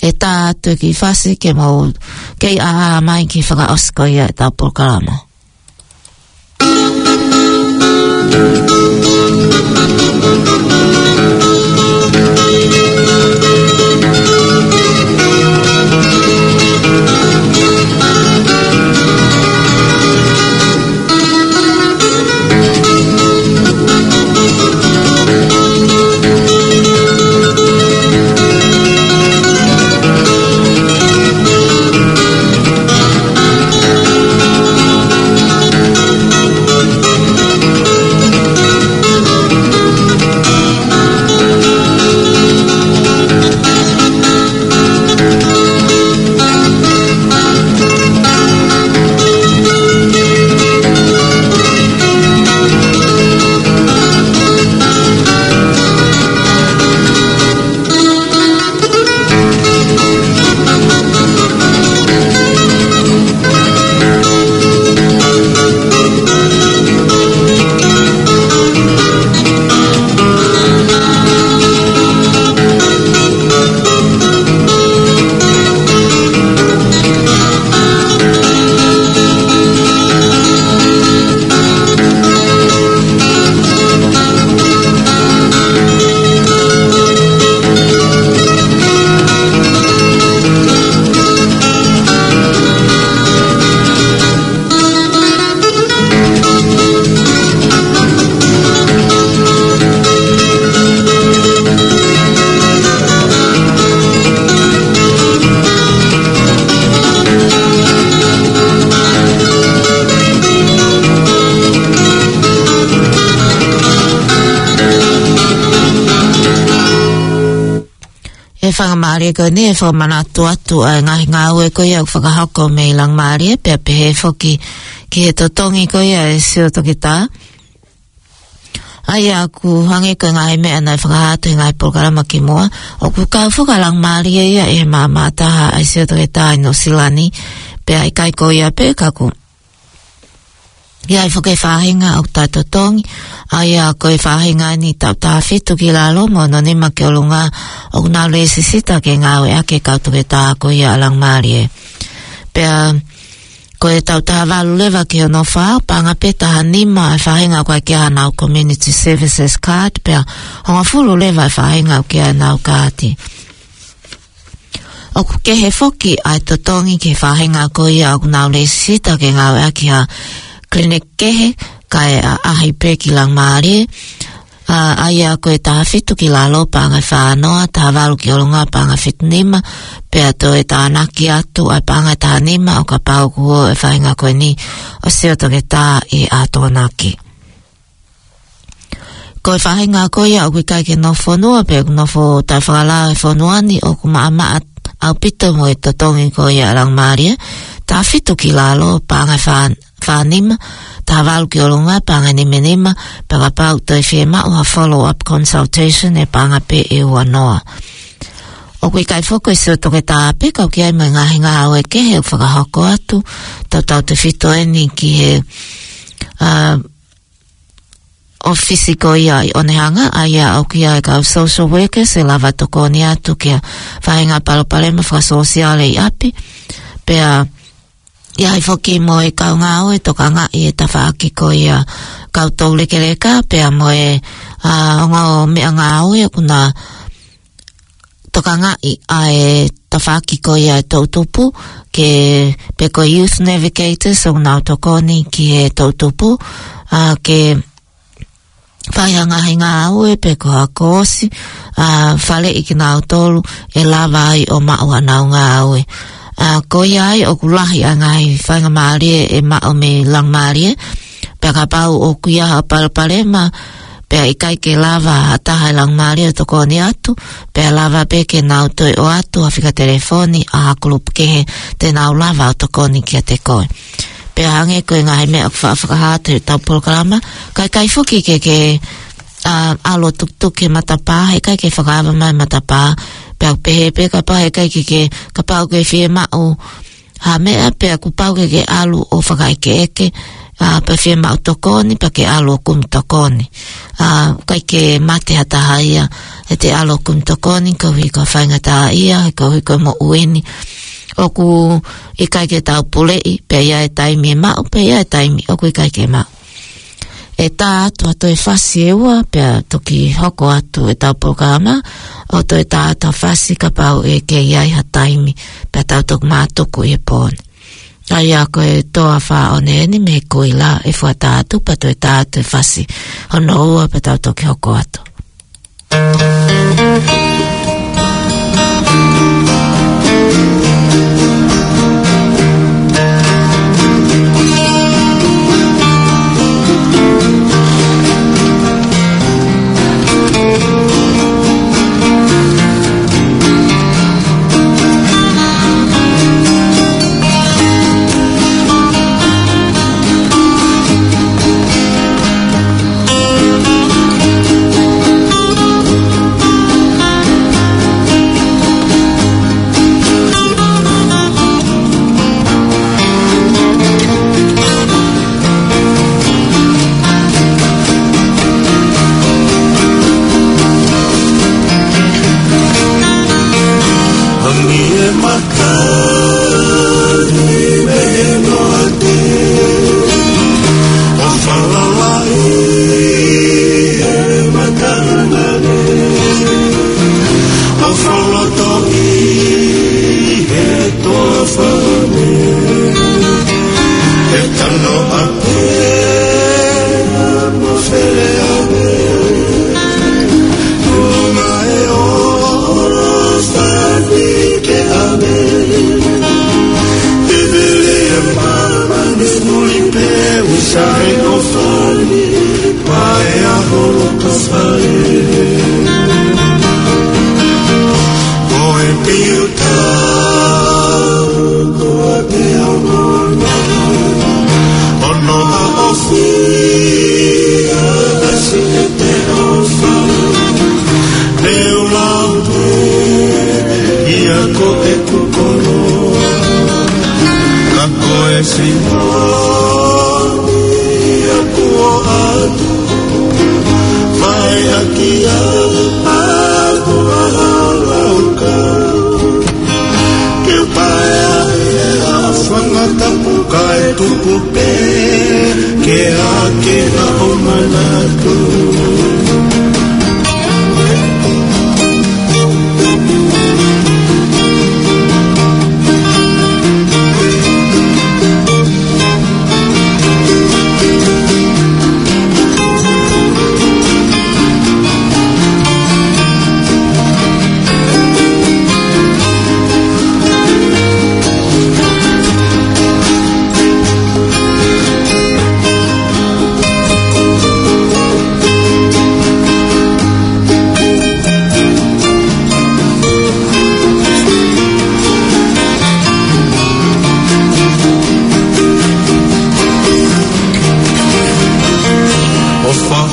ʻe tā atu e kiʻi fasi ke mou kei ʻaʻā mai ki he fakaʻosi ko ia ʻetau polokalama. Faingamālie ko eni e fakamanatu atu ʻa e ngaahi ngāue ko ia ʻoku fakahoko mei Laumālie, pea pehē foki ki he totongi ko ia ʻa e sio toketā. ʻA ia ʻoku hangē ko e ngaahi meʻa naʻe fakahā atu he ngaahi polokalama ki muʻa, ʻoku kau foki ʻa Laumālie ia ʻi he maʻamaʻa taha ʻa e sio toketā ʻi Nuʻusila ni, pea ʻikai ko ia pē ka ʻoku ʻi ai foki e faʻahinga ʻoku taʻetotongi, ʻa ia ko e faʻahinga ʻeni taʻu taha fitu ki lalo mo hono nima ki ʻolunga ʻoku nau lēsisita ke ngāueʻaki ʻe he kau toketā ko ia ʻa Laumālie. Pea ko e taʻu taha valu leva ki hono fā, paʻanga pē taha nima e faʻahinga ʻoku ʻikai ke ʻi ai haʻanau community services card, pea hongofulu leva e faʻahinga ʻoku ʻi ai haʻanau kaati. ʻOku kehe foki ʻa e totongi ki he faʻahinga ko ia ʻoku nau lēsisita ke ngāueʻaki ha clinic kehe, kae ʻaʻahi pē ki Laumālie. ʻA, ʻa ia ko e taha fitu ki lalo paʻanga ʻe fā noa, taha valu ki ʻolunga paʻanga ʻe fitu nima, pea toe tānaki atu ʻa e paʻanga ʻe taha nima ʻo kapau ʻoku ō e faʻahinga ko eni ʻo sio toketā ʻi ʻAtonaki. Ko e faʻahinga ko ia ʻoku ʻikai ke nofo fonua pe ʻoku nofo taʻefakalao he fonua ni ʻoku maʻamaʻa ʻaupito mo e totongi ko ia ʻa Laumālie, taha fitu ki lalo paʻanga ʻe fā, fā nima, taha valu ki ʻolunga paʻanga ʻe nima nima, pea kapau toe fiemaʻu ha follow-up consultation ʻe paʻanga pē ʻe ua noa. ʻOku ʻikai foki ko e sio toketā pē ka ʻoku ʻi ai mo e ngaahi ngāue kehe ʻoku fakahoko atu, tautautefito ʻeni ki he, ʻa, ʻōfisi ko ia ʻi ʻOnehunga, ʻa ia ʻoku ʻi ai e kau social workers ʻe lava tokoni atu ki ha faʻahinga palopalema fakasōsiale ʻi ʻapi. Pea ʻi ai foki mo e kau ngāue tokangaʻi e tafaʻaki ko ia kau toulekeleka, pea mo e, ʻa, ongo meʻangāue ʻoku na tokangaʻi ʻa e tafaʻaki ko ia e toʻutupu, ke, pe ko e youth navigators ʻoku nau tokoni ki he toʻutupu, ʻa, ke fai ha ngaahi ngāue pe ko ha koosi, ʻa, faleʻi kinautolu ʻe lava ai ʻo maʻu haʻanau ngāue. ʻA, ko ia ai ʻoku lahi ʻa e ngaahi faingamālie ʻe maʻu mei Laumālie, pea kapau ʻoku ʻi ai ha palopalema, pea ʻikai ke lava ha taha ʻi Laumālie ʻo tokoni atu, pea lava pē ke nau toe ʻoatu ha fika telefoni ʻa ha kulupu kehe te nau lava ʻo tokoni kiate koe. Pea hangē ko e ngaahi meʻa ʻoku faʻa fakahā atu heʻetau polokalama, ka ʻikai foki ke ke, ʻa, ʻalu ʻo tukituki he matapā, heʻikai ke fakaava mai matapā, pea ʻoku pehē pē kapau heʻikai ke ke, kapau ʻoku ke fiemaʻu ha meʻa pea kuo pau ke ke ʻalu ʻo fakaʻekeʻeke, ʻa, pea fiemaʻu tokoni, pea ke ʻalu ʻo kumi tokoni. ʻA, ʻikai ke mate ha taha ia, ʻete ʻalu ʻo kumi tokoni, koeʻuhi ko ha faingataʻaʻia, koeʻuhi ko e moʻui ni. ʻOku ʻikai ke tau puleʻi, pea ʻi ai e taimi ʻe maʻu, pea ʻi ai e taimi ʻoku ʻikai ke maʻu. ʻE tā atu ha toe fasi ʻe ua, pea toki hoko atu ʻetau polokalama, ʻo toe tā atu ha fasi kapau ʻe kei ʻi ai ha taimi, pea tau toki mātuku ʻi he pō ni. ʻA ia ko e Toa Fā ʻOne ʻeni mei Kuila ʻe fuata atu, pea toe tā atu e fasi hono ua, pea tau toki hoko atu.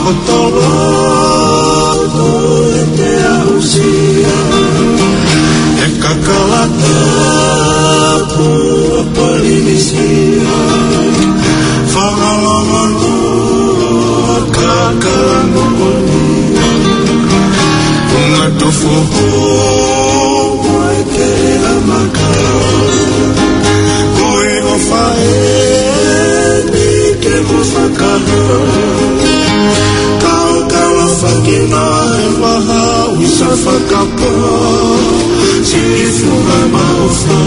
ʻOku toloi ʻete aʻusia ʻa e kakala tapu ʻa Polinisia. Fakalongo atu ʻa e kakala moʻoni, ʻoku ngata foʻou mo e kela maka. Ko e ʻofa eni ke mou fakahā, kau kalafaki na e vaha usa fakapō, siʻi funga maʻofa.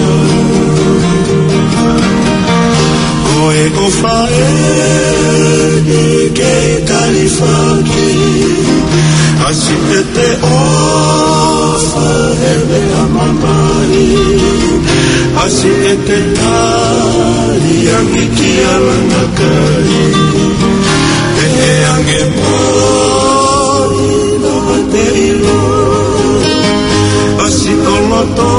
Ko e ʻofa eni kei kalifaki, ʻasi ʻete ʻofa he meʻa mamahi, ʻasi ʻete tali ange ki he langa kai, ʻe ange mo ʻi loa te ʻilo, ʻasi ʻo loto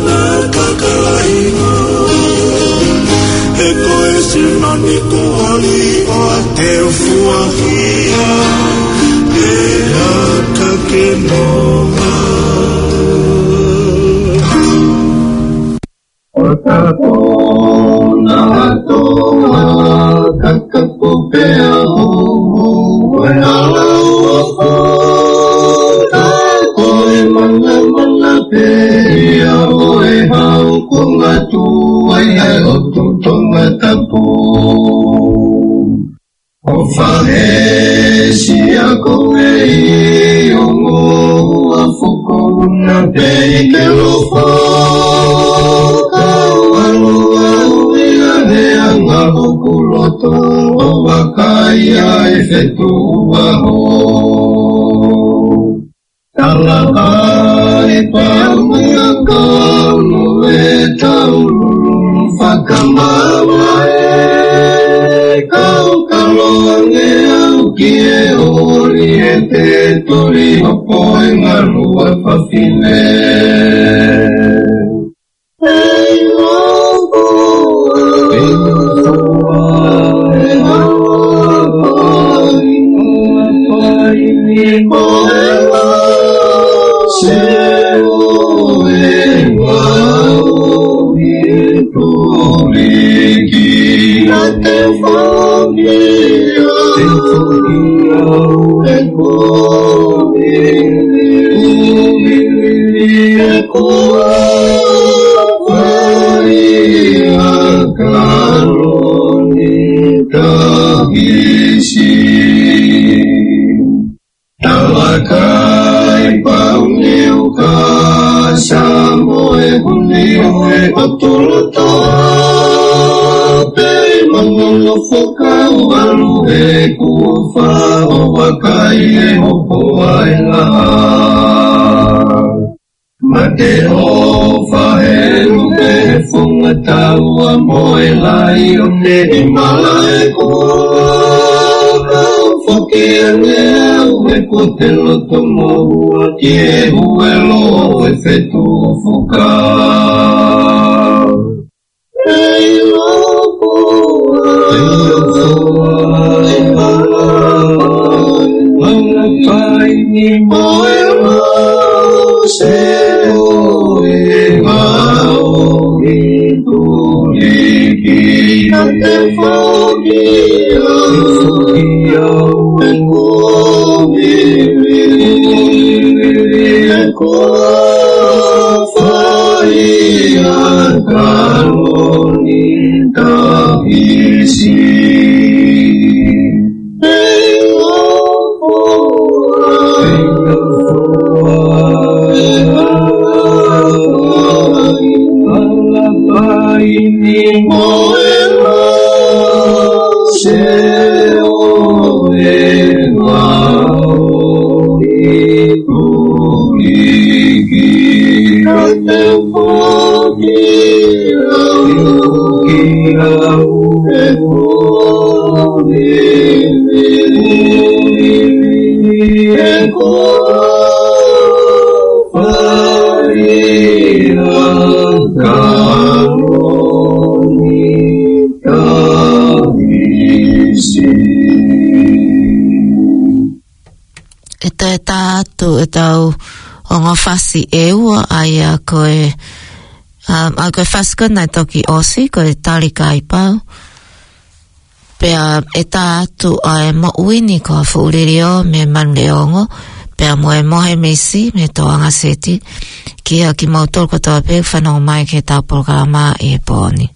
na kakalaiho. He ko e sino ni kuali ʻo ʻa te fuahia, ʻe aka ke nonga. ʻO takonato ʻa kakapo pea homo e hala ʻofa, ka ko e mangamanga pē ia ʻo e hau ko ngatu ai ʻa e ʻOtu Tongatapu. ʻOfa he siʻa ko e ʻi ongo ua foko una pē ʻi ke lofo. Kau alo au ia he anga ʻoku loto ʻo vakai ai fetuʻu vaho. Talakai paungi ʻa kau no e tau fakamamae, kau kalo ange au ki he oli he te tuli hopo e ngalua fafine. Talakai paungi ʻa kau Samoa e huni ʻo e ʻOtu Loto pē ʻi mango no fokau alu e kuo fa ʻo vakai e hopo ai la. Mate ʻofa he lupe he funga taua mo e laione ʻi malaʻe kua. Kau foki ange au he ko te loto moua ki he huelo e fetuʻu fuka. ʻe tā atu ʻetau ongo fasi ʻe ua, ʻa ia ko e, um, ʻa ia ko e fasi ko ē naʻe toki ʻosi, ko e Tali Kaipau. Pea ʻe tā atu ʻa e Moʻui ni ko Haʻafuʻu Liliō mei Manuleongo, pea mo e Mohe Misi mei Tōʻanga Seti, kiate kimoutolu kotoa pē ʻoku fanongo mai ki heʻetau polokalama ʻi he pō ni.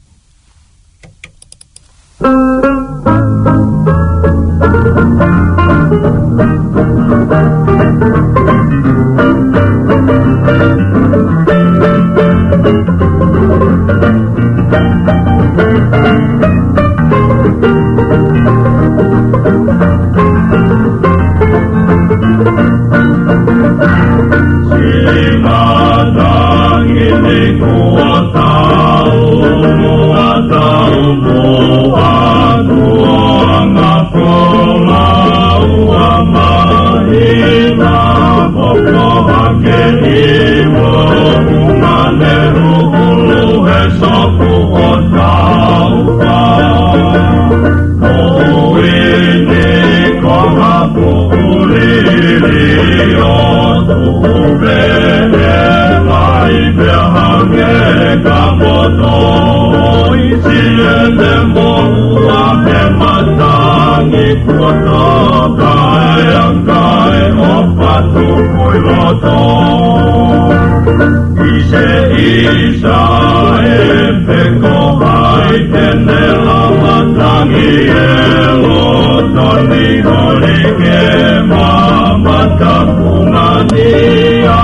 ʻI se isa e pe ko hai te ne lava tangi e loto ni holi ke mamata puna ni a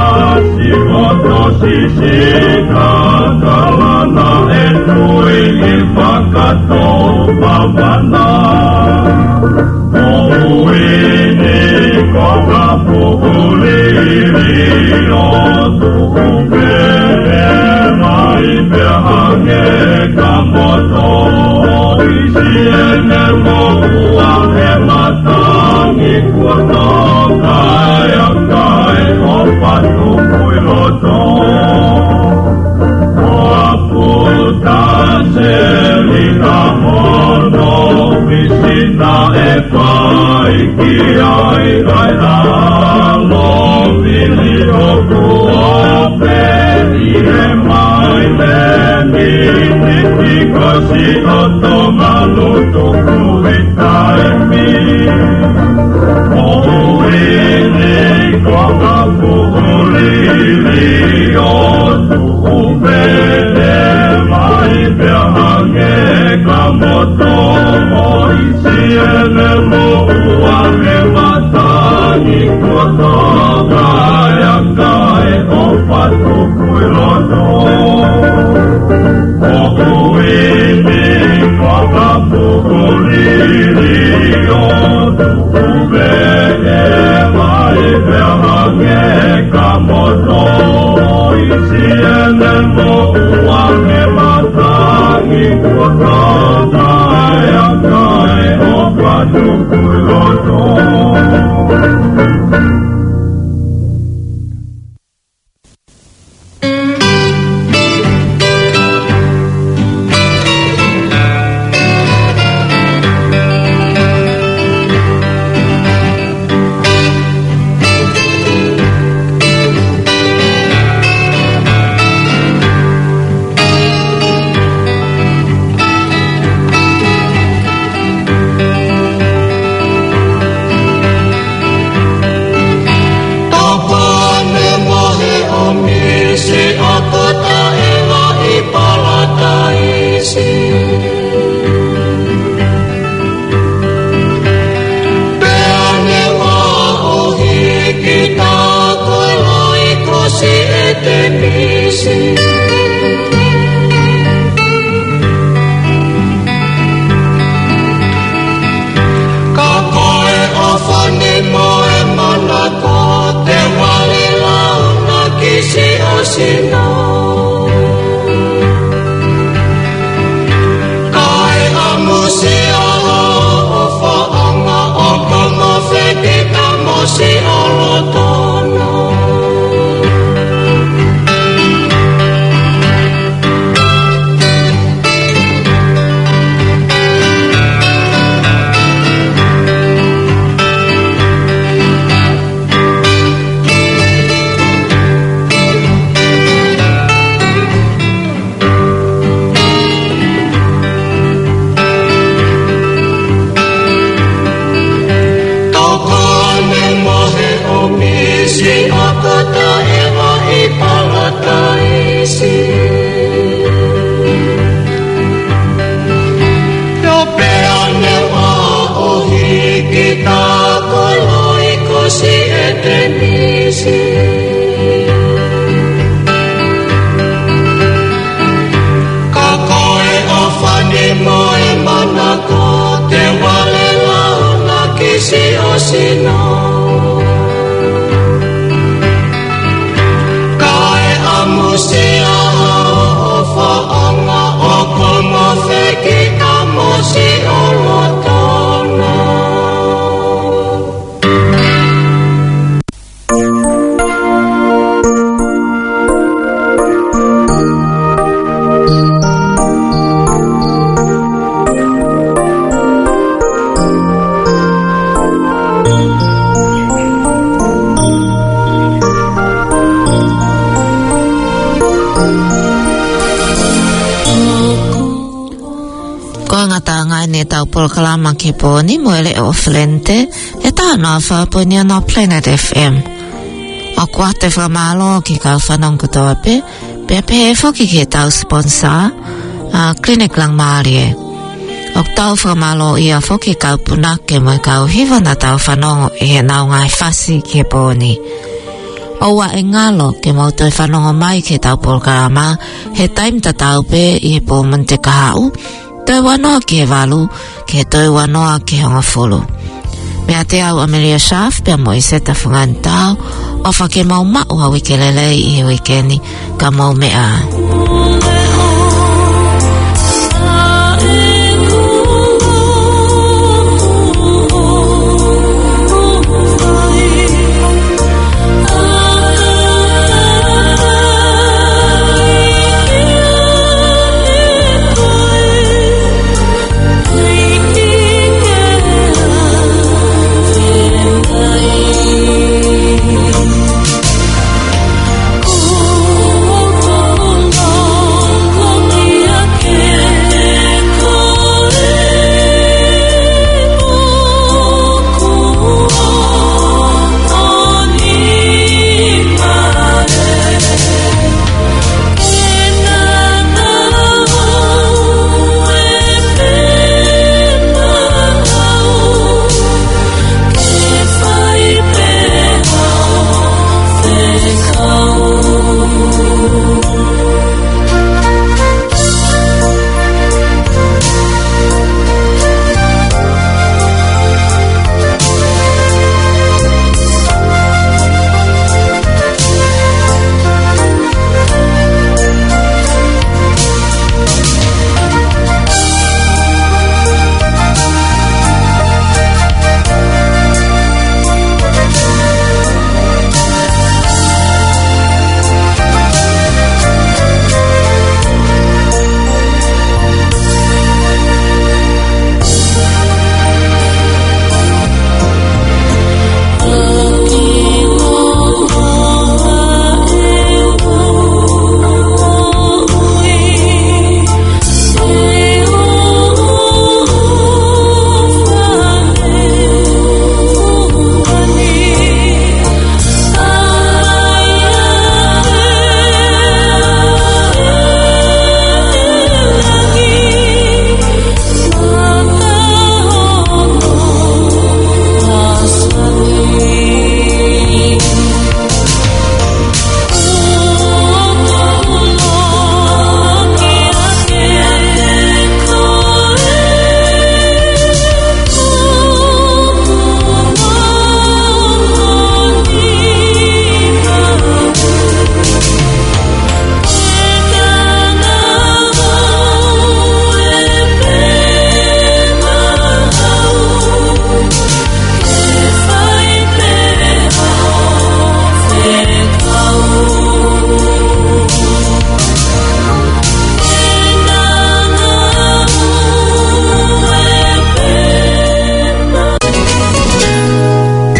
si moto sisi ka kalana e tui i fakato pavana. Moʻui ni ko Haʻafuʻu Liliō, tuʻu pē mai pea hangē ka moto, ʻi siʻene moʻua he matangi kuo toka e aka ʻo patu kui loto. Ko Haʻaputa Selina hono misina e fai ki ai ʻa e ʻalo vili ʻoku ope ʻi he mai me miniti ko si o Tonga lutu kui taimi. Moʻui ni ko Haʻafuʻu Liliō, tuʻu pē mai pea hangē ka moto, ʻi siʻene moʻua he matangi Sino. Kae ʻamusia hoʻo faʻanga ʻo komo feki ʻamusi ʻo lotona. Ko e ngataʻanga eni ʻetau polokalama ki he pō ni mo e leʻo ʻo Felente, ʻe taha noa fā poini ono Planet F M. ʻOku ʻoatu e fakamālō ki he kau fanongo kotoa pē, pea pehē foki ki heʻetau sponsor, ʻa Clinic Langmalie. ʻOku tau fakamālōʻia foki ki he kau punake mo e kau hiva naʻa tau fanongo ʻi heʻenau ngaahi fasi ki he pō ni. ʻOua ʻe ngalo ke mou toe fanongo mai ki heʻetau polokalama he taimi tatau pē ʻi he pō Mōnite kahaʻu, toe ua noa ki he valu, ki he toe ua noa ki he hongofulu. Meiate au ʻAmelia Shaft pea mo ʻIseta Fungani Tao, ʻofa ke mou maʻu ha uike lelei ʻi he uike ni, ka mou meʻa ā.